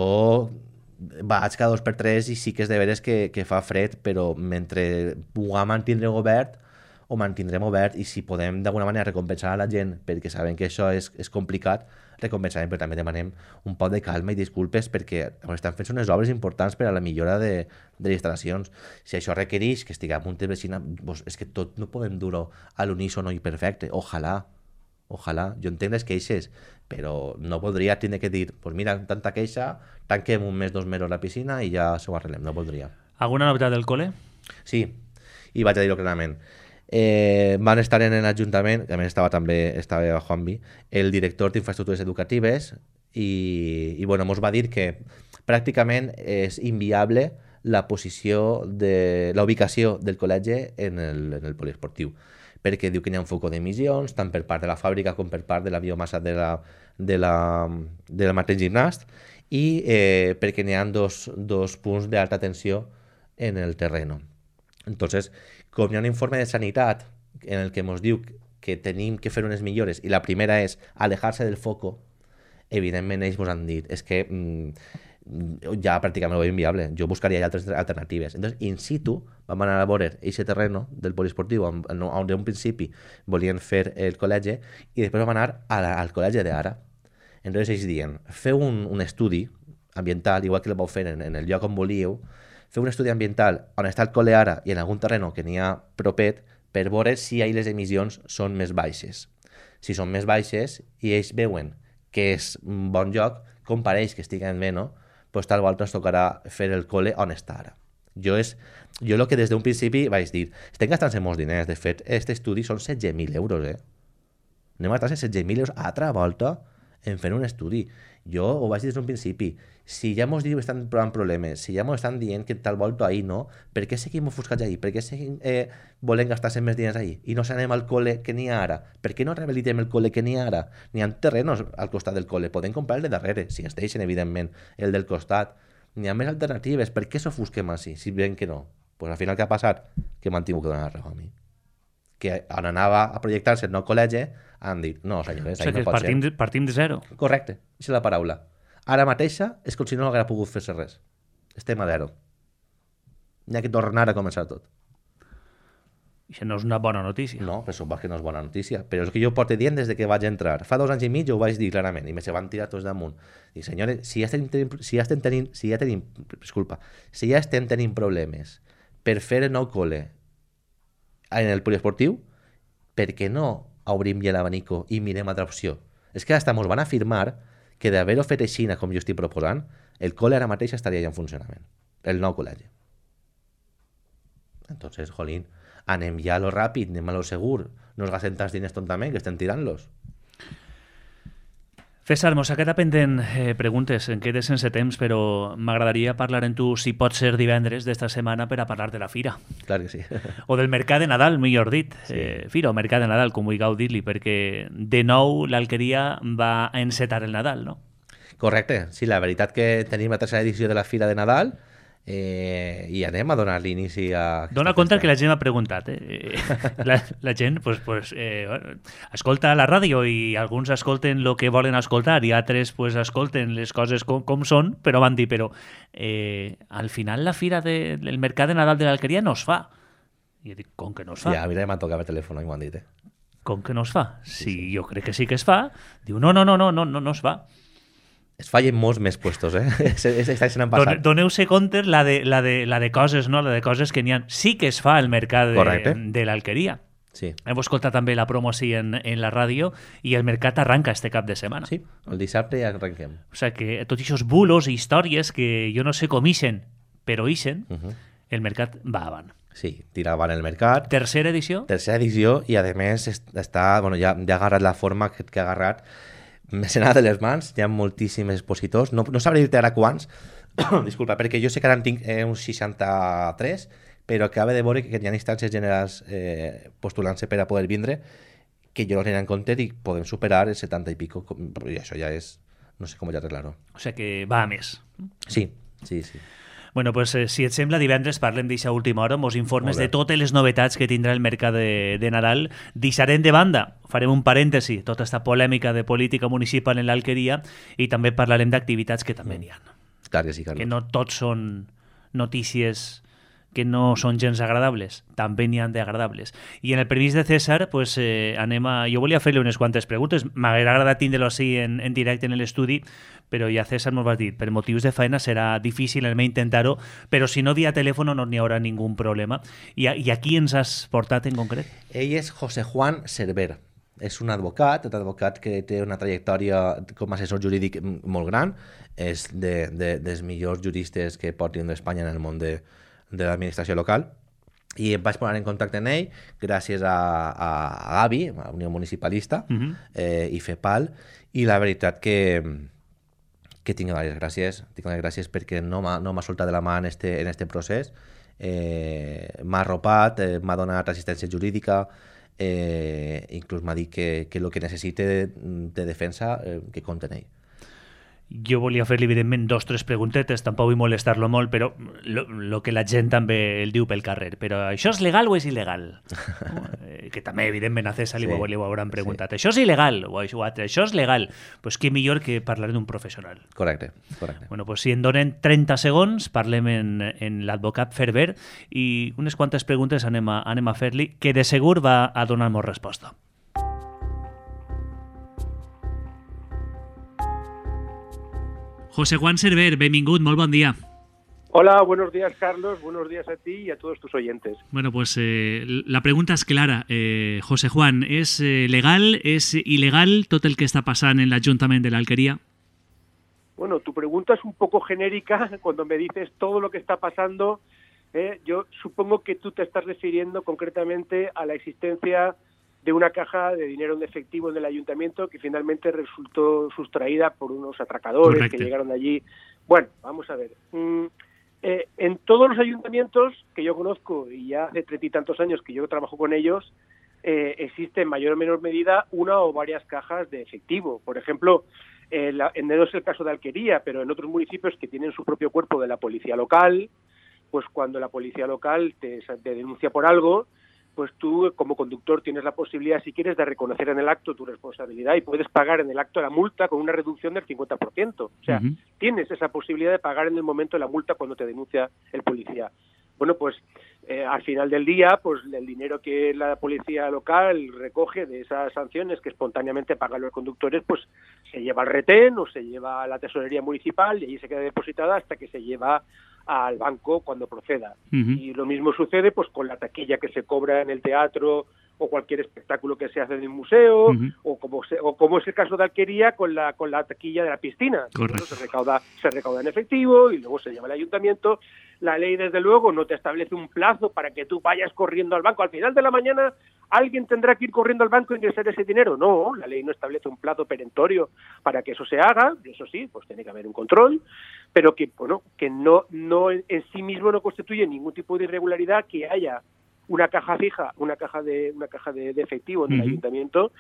vaig cada 2 per 3 i sí que és de veres que fa fred, però mentre puguem mantindre obert, ho mantindrem obert, i si podem d'alguna manera recompensar a la gent perquè sabem que això és complicat, recompensarem, però també demanem un poc de calma i disculpes perquè estan fent unes obres importants per a la millora de les instal·lacions. Si això requereix que estiguem a punt de vecina, doncs és que tot no podem dur-ho a l'unísono i perfecte. Ojalà. Jo entenc les queixes, però no voldria tindre que dir, pues mira, tanta queixa, tanquem un mes, 2 mesos la piscina i ja s'ho arreglem. No voldria. Alguna novetat del col·le? Sí, i vaig a dir-ho clarament. Van estar en l'Ajuntament, que a més estava Juanvi, el director d'infraestructures educatives, i bueno, ens va dir que pràcticament és inviable la ubicació del col·legi en el poliesportiu, perquè diu que hi ha un foc d'emissions, tant per part de la fàbrica com per part de la biomassa del mateix gimnàs, i perquè n'hi ha dos punts d'alta tensió en el terreno. Entonces, com hi ha un informe de sanitat en el que ens diu que tenim que fer unes millores, i la primera és alejar-se del foco, evidentment ells ens han dit és que ja pràcticament ho veiem inviable, jo buscaria ja altres alternatives. Entonces, in situ, vam anar a veure aquest terreno del poliesportiu on en principi volien fer el col·legi, i després vam anar al col·legi d'ara. Entonces ells diuen, feu un estudi ambiental, igual que el vau fer en el lloc on volíeu, fer un estudi ambiental on està el col·le ara i en algun terreno que n'hi ha propet, per veure si ahí les emissions són més baixes. Si són més baixes i ells veuen que és un bon lloc, com pareix que estiguen bé, no? Pues tal volta ens tocarà fer el col·le on està ara. Jo el que des d'un principi vaig dir, estem gastant-se molts diners, de fet, aquest estudi són 16.000 euros, Anem a gastar 16.000 euros a altra volta en fer un estudi. Jo ho vaig dir des d'un principi, si ja mos diu que estan provant problemes, si ja mos estan dient que tal volta ahir no, per què seguim ofuscats ahir? Per què seguim volent gastar-se més diners ahir? I no s'anem al col·le que n'hi ha ara? Per què no rehabilitem el col·le que n'hi ha ara? N'hi ha terrenos al costat del col·le, podem comprar el de darrere, si es deixen, evidentment, el del costat. N'hi ha més alternatives, per què s'ofusquem així, si veiem que no? Pues al final què ha passat? Que m'han tingut que donar la raó a mi. Que on anava a projectar-se el nou col·legi, han dit, no, senyores, ahir no pot ser. Partim de zero. Correcte, aquesta és la paraula. Ara mateixa és com si no haguera pogut fer-se res. Estem a zero. N'hi ha que tornar a començar tot. Això no és una bona notícia. No, per supost que no és bona notícia. Però és que jo porto dient des de que vaig entrar. Fa 2 anys i mig ho vaig dir clarament i me se van tirar tots damunt. Dic, senyores, si ja estem tenint problemes per fer el nou col·le en el poliesportiu, per què no obrim ja l'abanico i mirem altra opció? És que hasta ens van afirmar que d'haver-ho fet així com jo estic proposant, el col·le ara mateix estaria ja en funcionament. El nou col·legi. Entonces, jolín, anem ja a lo ràpid, anem a lo segur. No es gasten tants diners tontament, que estem tirant-los. César, mos ha quedat pendent preguntes, em quedes sense temps, però m'agradaria parlar amb tu, si pot ser divendres d'esta setmana, per a parlar de la fira. Clar que sí. O del mercat de Nadal, millor dit. Sí. Fira o mercat de Nadal, com vulgueu dir-li, perquè de nou l'Alqueria va encetar el Nadal, no? Correcte. Sí, la veritat que tenim la 3a edició de la Fira de Nadal, i anem a donar l'inici a... Dona compte que la gent m'ha preguntat. La gent escolta la ràdio i alguns escolten el que volen escoltar i altres escolten les coses com són, però van dir, al final la fira del mercat de Nadal de l'Alqueria no es fa. I jo dic, com que no es fa? Ja, mira, m'han tocat el telèfon i m'ho han dit, Com que no es fa? Sí, jo crec que sí que es fa. Diu, no es fa. Es fallen molts més puestos, Està sent passat. Doneu-se compte la de coses, no? La de coses que n'hi ha. Sí que es fa al mercat de l'Alqueria. Sí. Hem escoltat també la promo així en la ràdio i el mercat arranca este cap de setmana. Sí, el dissabte ja arrenquem. O sigui que tots aquests bulos i històries que jo no sé com ixen, però ixen, el mercat va avant. Sí, tira avant el mercat. Tercera edició? Tercera edició i a més està, bueno, ja ha agarrat la forma que ha agarrat. M'he anat de les mans, hi ha moltíssims expositors. No sabré dir-te ara quants, disculpa, perquè jo sé que ara en tinc uns 63, però acaba de veure que hi ha instàncies generals postulant-se per a poder vindre, que jo no tenia en compte i podem superar el 70 i pico, i això ja és... no sé com ja arreglar-ho. O sigui que va a més. Sí. Bueno, pues si et sembla, divendres parlem d'eixa última hora, mos informes de totes les novetats que tindrà el mercat de Nadal. Deixarem de banda, farem un parèntesi, tota aquesta polèmica de política municipal en l'Alqueria i també parlarem d'activitats que també n'hi ha. Clar que sí, Carlos. Que no tots són notícies que no són gens agradables, també n'hi ha d'agradables. I en el permís de César, pues, jo volia fer-li unes quantes preguntes, m'hauria agradat tindre-lo així en directe en l'estudi, però ja César m'ho va dir, per motius de feina serà difícil el meu intentar-ho, però si no via telèfon no n'hi haurà ningú problema. I a qui ens has portat en concret? Ell és José Juan Cerver. És un advocat que té una trajectòria com a assessor jurídic molt gran, és dels millors juristes que pot tindre Espanya en el món de l'administració local, i em vaig posar en contacte amb ell gràcies a Gavi, a Unió Municipalista, i FEPAL, i la veritat que tinc les gràcies perquè no m'ha soltat de la mà en este procés, m'ha arropat, m'ha donat assistència jurídica, inclús m'ha dit que el que necessite de defensa que compte en ell. Jo volia fer-li, evidentment, 2 o 3 preguntetes, tampoc vull molestar-lo molt, però el que la gent també el diu pel carrer. Però això és legal o és il·legal? Que també, evidentment, a César li ho hauran preguntat. Sí. Això és il·legal o això és legal? Pues què millor que parlar d'un professional. Correcte. Bueno, pues si en donen 30 segons, parlem en l'advocat Cerver i unes quantes preguntes anem a fer-li, que de segur va a donar-nos resposta. José Juan Cerver, benvingut, molt bon dia. Hola, buenos días, Carlos, buenos días a ti y a todos tus oyentes. Bueno, pues la pregunta es clara. José Juan, ¿es legal, es ilegal tot el que está passant en l'Ajuntament de l'Alqueria? Bueno, tu pregunta es un poco genérica cuando me dices todo lo que está pasando. Yo supongo que tú te estás refiriendo concretamente a la existencia de una caja de dinero en efectivo en el ayuntamiento que finalmente resultó sustraída por unos atracadores. Correcto. Que llegaron allí. Bueno, vamos a ver. En todos los ayuntamientos que yo conozco, y ya hace 30 y tantos años que yo trabajo con ellos, existe en mayor o menor medida una o varias cajas de efectivo. Por ejemplo, no es el caso de Alquería, pero en otros municipios que tienen su propio cuerpo de la policía local, pues cuando la policía local te denuncia por algo, pues tú como conductor tienes la posibilidad, si quieres, de reconocer en el acto tu responsabilidad y puedes pagar en el acto la multa con una reducción del 50%. O sea, tienes esa posibilidad de pagar en el momento la multa cuando te denuncia el policía. Bueno, pues al final del día, pues el dinero que la policía local recoge de esas sanciones que espontáneamente pagan los conductores, pues se lleva al retén o se lleva a la tesorería municipal y allí se queda depositada hasta que se lleva al banco cuando proceda. Y lo mismo sucede pues con la taquilla que se cobra en el teatro o cualquier espectáculo que se hace en el museo, o como es el caso de Alquería con la taquilla de la piscina. Correcto. Se recauda en efectivo y luego se lleva al ayuntamiento. La ley, desde luego, no te establece un plazo para que tú vayas corriendo al banco. Al final de la mañana, ¿alguien tendrá que ir corriendo al banco e ingresar ese dinero? No, la ley no establece un plazo perentorio para que eso se haga. Eso sí, pues tiene que haber un control, pero que no en sí mismo no constituye ningún tipo de irregularidad que haya una caja fija, una caja de efectivo en el ayuntamiento.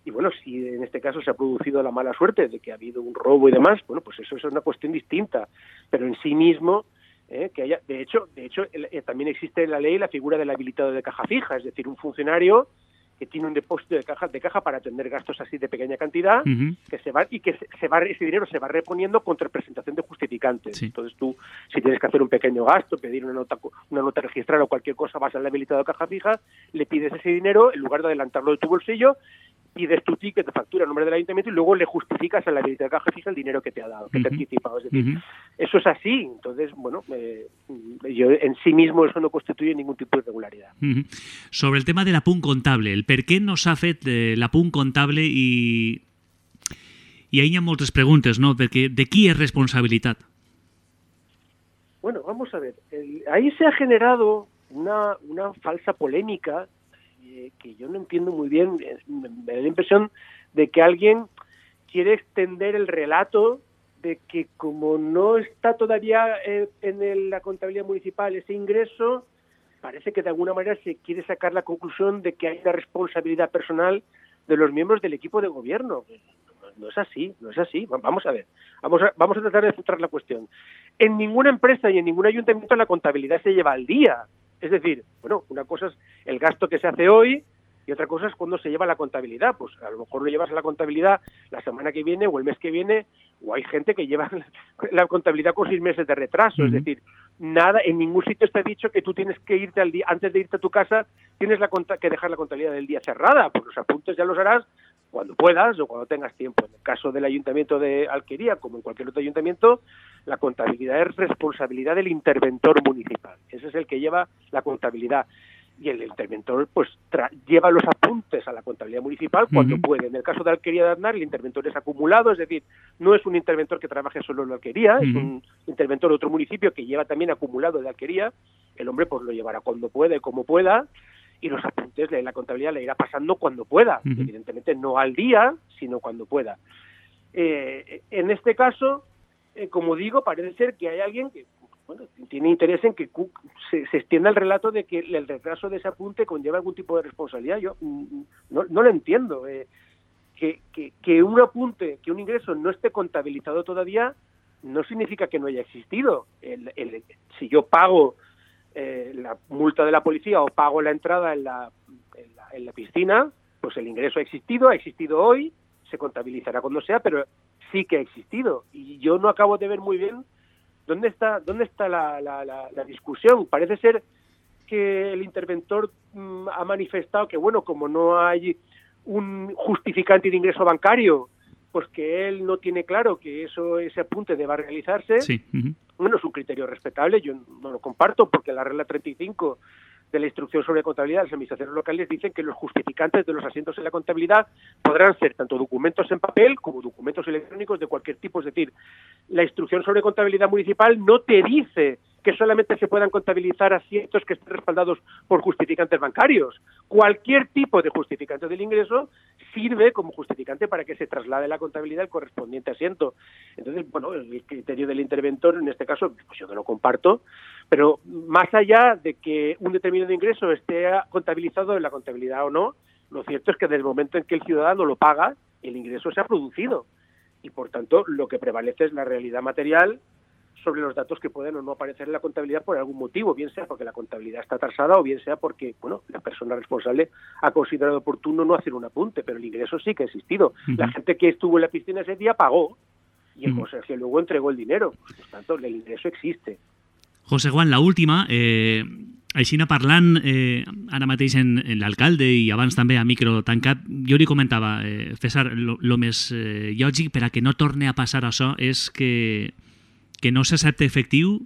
Y bueno, si en este caso se ha producido la mala suerte de que ha habido un robo y demás, bueno, pues eso es una cuestión distinta, pero en sí mismo que haya, de hecho también existe en la ley la figura del habilitado de caja fija, es decir, un funcionario que tiene un depósito de caja para atender gastos así de pequeña cantidad, que ese dinero se va reponiendo contra presentación de justificantes. Sí. Entonces tú, si tienes que hacer un pequeño gasto, pedir una nota registrada o cualquier cosa, vas al habilitado de caja fija, le pides ese dinero, en lugar de adelantarlo de tu bolsillo, pides tu ticket de factura a nombre del ayuntamiento y luego le justificas a la habilidad de caja fija el dinero que te ha dado, que te ha anticipado. Es decir, eso es así. Entonces, bueno, yo en sí mismo eso no constituye ningún tipo de irregularidad. Sobre el tema de l'apunt comptable, el per què no s'ha fet l'apunt comptable i ahí hi ha moltes preguntes, ¿no? Perquè de qui és responsabilitat? Bueno, vamos a ver. Ahí se ha generado una falsa polémica que yo no entiendo muy bien. Me da la impresión de que alguien quiere extender el relato de que como no está todavía en la contabilidad municipal ese ingreso, parece que de alguna manera se quiere sacar la conclusión de que hay una responsabilidad personal de los miembros del equipo de gobierno. No es así, no es así. Vamos a ver, vamos a tratar de centrar la cuestión. En ninguna empresa y en ningún ayuntamiento la contabilidad se lleva al día. Es decir, bueno, una cosa es el gasto que se hace hoy y otra cosa es cuando se lleva la contabilidad. Pues a lo mejor lo llevas a la contabilidad la semana que viene o el mes que viene, o hay gente que lleva la contabilidad con 6 meses de retraso. Es decir, nada, en ningún sitio está dicho que tú tienes que irte al día, antes de irte a tu casa, tienes que dejar la contabilidad del día cerrada, porque los apuntes ya los harás cuando puedas o cuando tengas tiempo. En el caso del Ayuntamiento de Alquería, como en cualquier otro ayuntamiento, la contabilidad es responsabilidad del interventor municipal. Ese es el que lleva la contabilidad. Y el interventor pues lleva los apuntes a la contabilidad municipal cuando puede. En el caso de Alquería de Aznar, el interventor es acumulado, es decir, no es un interventor que trabaje solo en la Alquería, es un interventor de otro municipio que lleva también acumulado de Alquería. El hombre pues lo llevará cuando pueda y como pueda, y los apuntes de la contabilidad le irá pasando cuando pueda, evidentemente no al día, sino cuando pueda. En este caso, como digo, parece ser que hay alguien que tiene interés en que se extienda el relato de que el retraso de ese apunte conlleva algún tipo de responsabilidad. Yo no lo entiendo. Que un apunte, que un ingreso no esté contabilizado todavía, no significa que no haya existido. Si yo pago la multa de la policía o pago la entrada en la piscina, pues el ingreso ha existido hoy, se contabilizará cuando sea, pero sí que ha existido. Y yo no acabo de ver muy bien ¿dónde está la discusión? Parece ser que el interventor ha manifestado que, bueno, como no hay un justificante de ingreso bancario, pues que él no tiene claro que ese apunte deba realizarse. Sí. Bueno, es un criterio respetable, yo no lo comparto, porque la regla 35 de la instrucción sobre contabilidad de las administraciones locales dicen que los justificantes de los asientos en la contabilidad podrán ser tanto documentos en papel como documentos electrónicos de cualquier tipo. Es decir, la instrucción sobre contabilidad municipal no te dice que solamente se puedan contabilizar asientos que estén respaldados por justificantes bancarios. Cualquier tipo de justificante del ingreso sirve como justificante para que se traslade la contabilidad al correspondiente asiento. Entonces, bueno, el criterio del interventor, en este caso, pues yo no lo comparto, pero más allá de que un determinado ingreso esté contabilizado en la contabilidad o no, lo cierto es que desde el momento en que el ciudadano lo paga, el ingreso se ha producido. Y, por tanto, lo que prevalece es la realidad material sobre los datos que pueden o no aparecer en la contabilidad por algún motivo, bien sea porque la contabilidad está atrasada o bien sea porque, bueno, la persona responsable ha considerado oportuno no hacer un apunte, pero el ingreso sí que ha existido. La gente que estuvo en la piscina ese día pagó y el conserje luego entregó el dinero. Por tanto, el ingreso existe. José Juan, la última, així parlant ara mateix en l'alcalde i abans també a micro tancat, jo li comentava, César, lo més lògic per a que no torni a passar això és que no s'accepte efectiu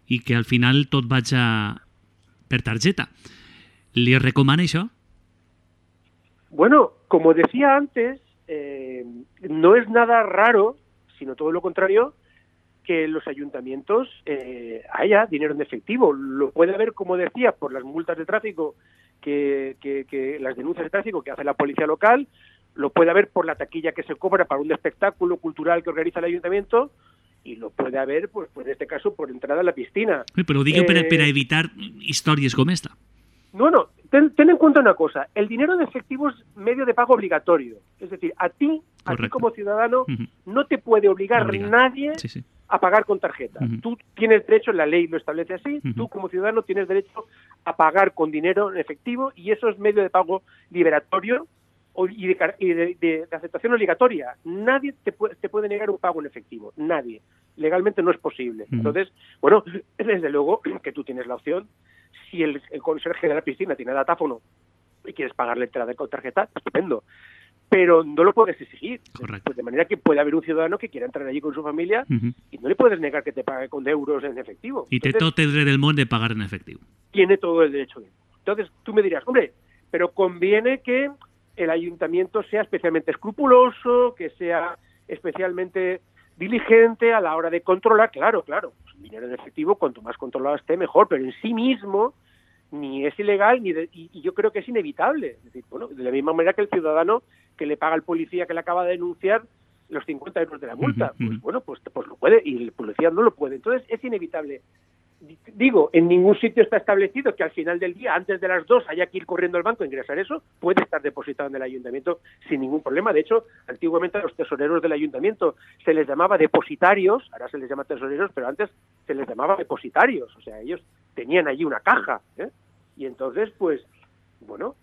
i que al final tot vagi per targeta. ¿Le recomana això? Bueno, como decía antes, no es nada raro, sino todo lo contrario, que en los ayuntamientos haya dinero en efectivo. Lo puede haber, como decía, por las multas de tráfico, que las denuncias de tráfico que hace la policía local, lo puede haber por la taquilla que se cobra para un espectáculo cultural que organiza el ayuntamiento, y lo puede haber, pues en este caso, por entrada a la piscina. Pero digo para evitar historias como esta. No, ten en cuenta una cosa, el dinero en efectivo es medio de pago obligatorio, es decir, a ti como ciudadano, no te puede obligar nadie a pagar con tarjeta. Tú tienes derecho, la ley lo establece así, tú como ciudadano tienes derecho a pagar con dinero en efectivo y eso es medio de pago liberatorio y de aceptación obligatoria. Nadie te puede negar un pago en efectivo, nadie. Legalmente no es posible. Entonces, bueno, desde luego que tú tienes la opción, si el conserje de la piscina tiene datáfono y quieres pagar la entrada con tarjeta, estupendo. Pero no lo puedes exigir. Correcto. Pues de manera que puede haber un ciudadano que quiera entrar allí con su familia y no le puedes negar que te pague con euros en efectivo. Y té tot el dret del món de pagar en efectivo. Tiene todo el derecho de. Entonces tú me dirás, hombre, pero conviene que el ayuntamiento sea especialmente escrupuloso, que sea especialmente diligente a la hora de controlar. Claro, pues dinero en efectivo, cuanto más controlado esté, mejor, pero en sí mismo ni es ilegal y yo creo que es inevitable. Es decir, bueno, de la misma manera que el ciudadano que le paga al policía que le acaba de denunciar los 50 euros de la multa, pues bueno, pues lo puede y el policía no lo puede. Entonces es inevitable. Digo, en ningún sitio está establecido que al final del día, antes de las 2, haya que ir corriendo al banco a ingresar eso. Puede estar depositado en el ayuntamiento sin ningún problema. De hecho, antiguamente a los tesoreros del ayuntamiento se les llamaba depositarios, ahora se les llama tesoreros, pero antes se les llamaba depositarios. O sea, ellos tenían allí una caja, ¿eh? Y entonces, pues, bueno,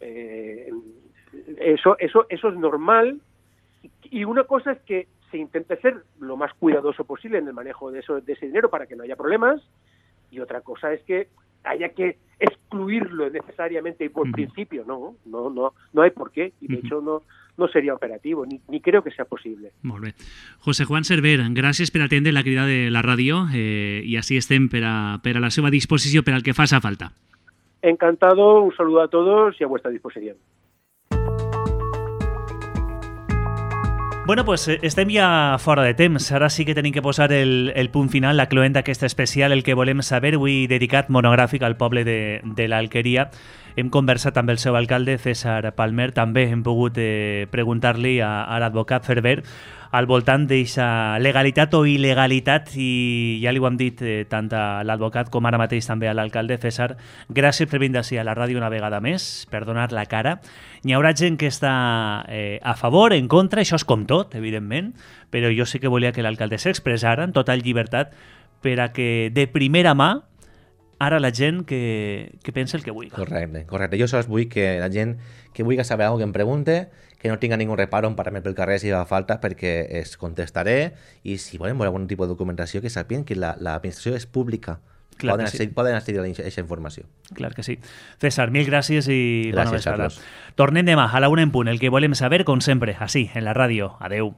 eso es normal. Y una cosa es que se intente ser lo más cuidadoso posible en el manejo de ese dinero para que no haya problemas. Y otra cosa es que haya que excluirlo necesariamente y por principio. No hay por qué. Y de hecho no sería operativo, ni creo que sea posible. Molt bé. José Juan Cerver, gràcies per atendre la crida de la ràdio i així estem per a la seva disposició per al que faça falta. Encantado, un saludo a todos y a vuestra disposición. Bueno, pues estem ja fora de temps. Ara sí que tenim que posar el punt final, la cloent d'aquest especial, el que volem saber, avui dedicat monogràfic al poble de l'Alqueria. Hem conversat amb el seu alcalde, César Palmer. També hem pogut preguntar-li a l'advocat Cerver al voltant d'aquesta legalitat o il·legalitat, i ja li ho hem dit tant a l'advocat com ara mateix també a l'alcalde. César, gràcies per venir d'ací a la ràdio una vegada més, per donar la cara. Hi haurà gent que està a favor, en contra, això és com tot, evidentment, però jo sí que volia que l'alcalde s'expressara en total llibertat per a que de primera mà ara la gent que pensa el que vulgui. Correcte. Jo sols vull que la gent que vulgui saber alguna cosa que em pregunte, que no tinga ningú reparo en parar-me pel carrer si fa falta, perquè es contestaré, i si volen veure algun tipus de documentació, que sàpiguen que l'administració és pública. Poden accedir a aquesta informació. Clar que sí. César, mil gràcies i bona vesprada. Carlos. Tornem demà a la 1 en punt, el que volem saber, com sempre, així, en la ràdio. Adeu.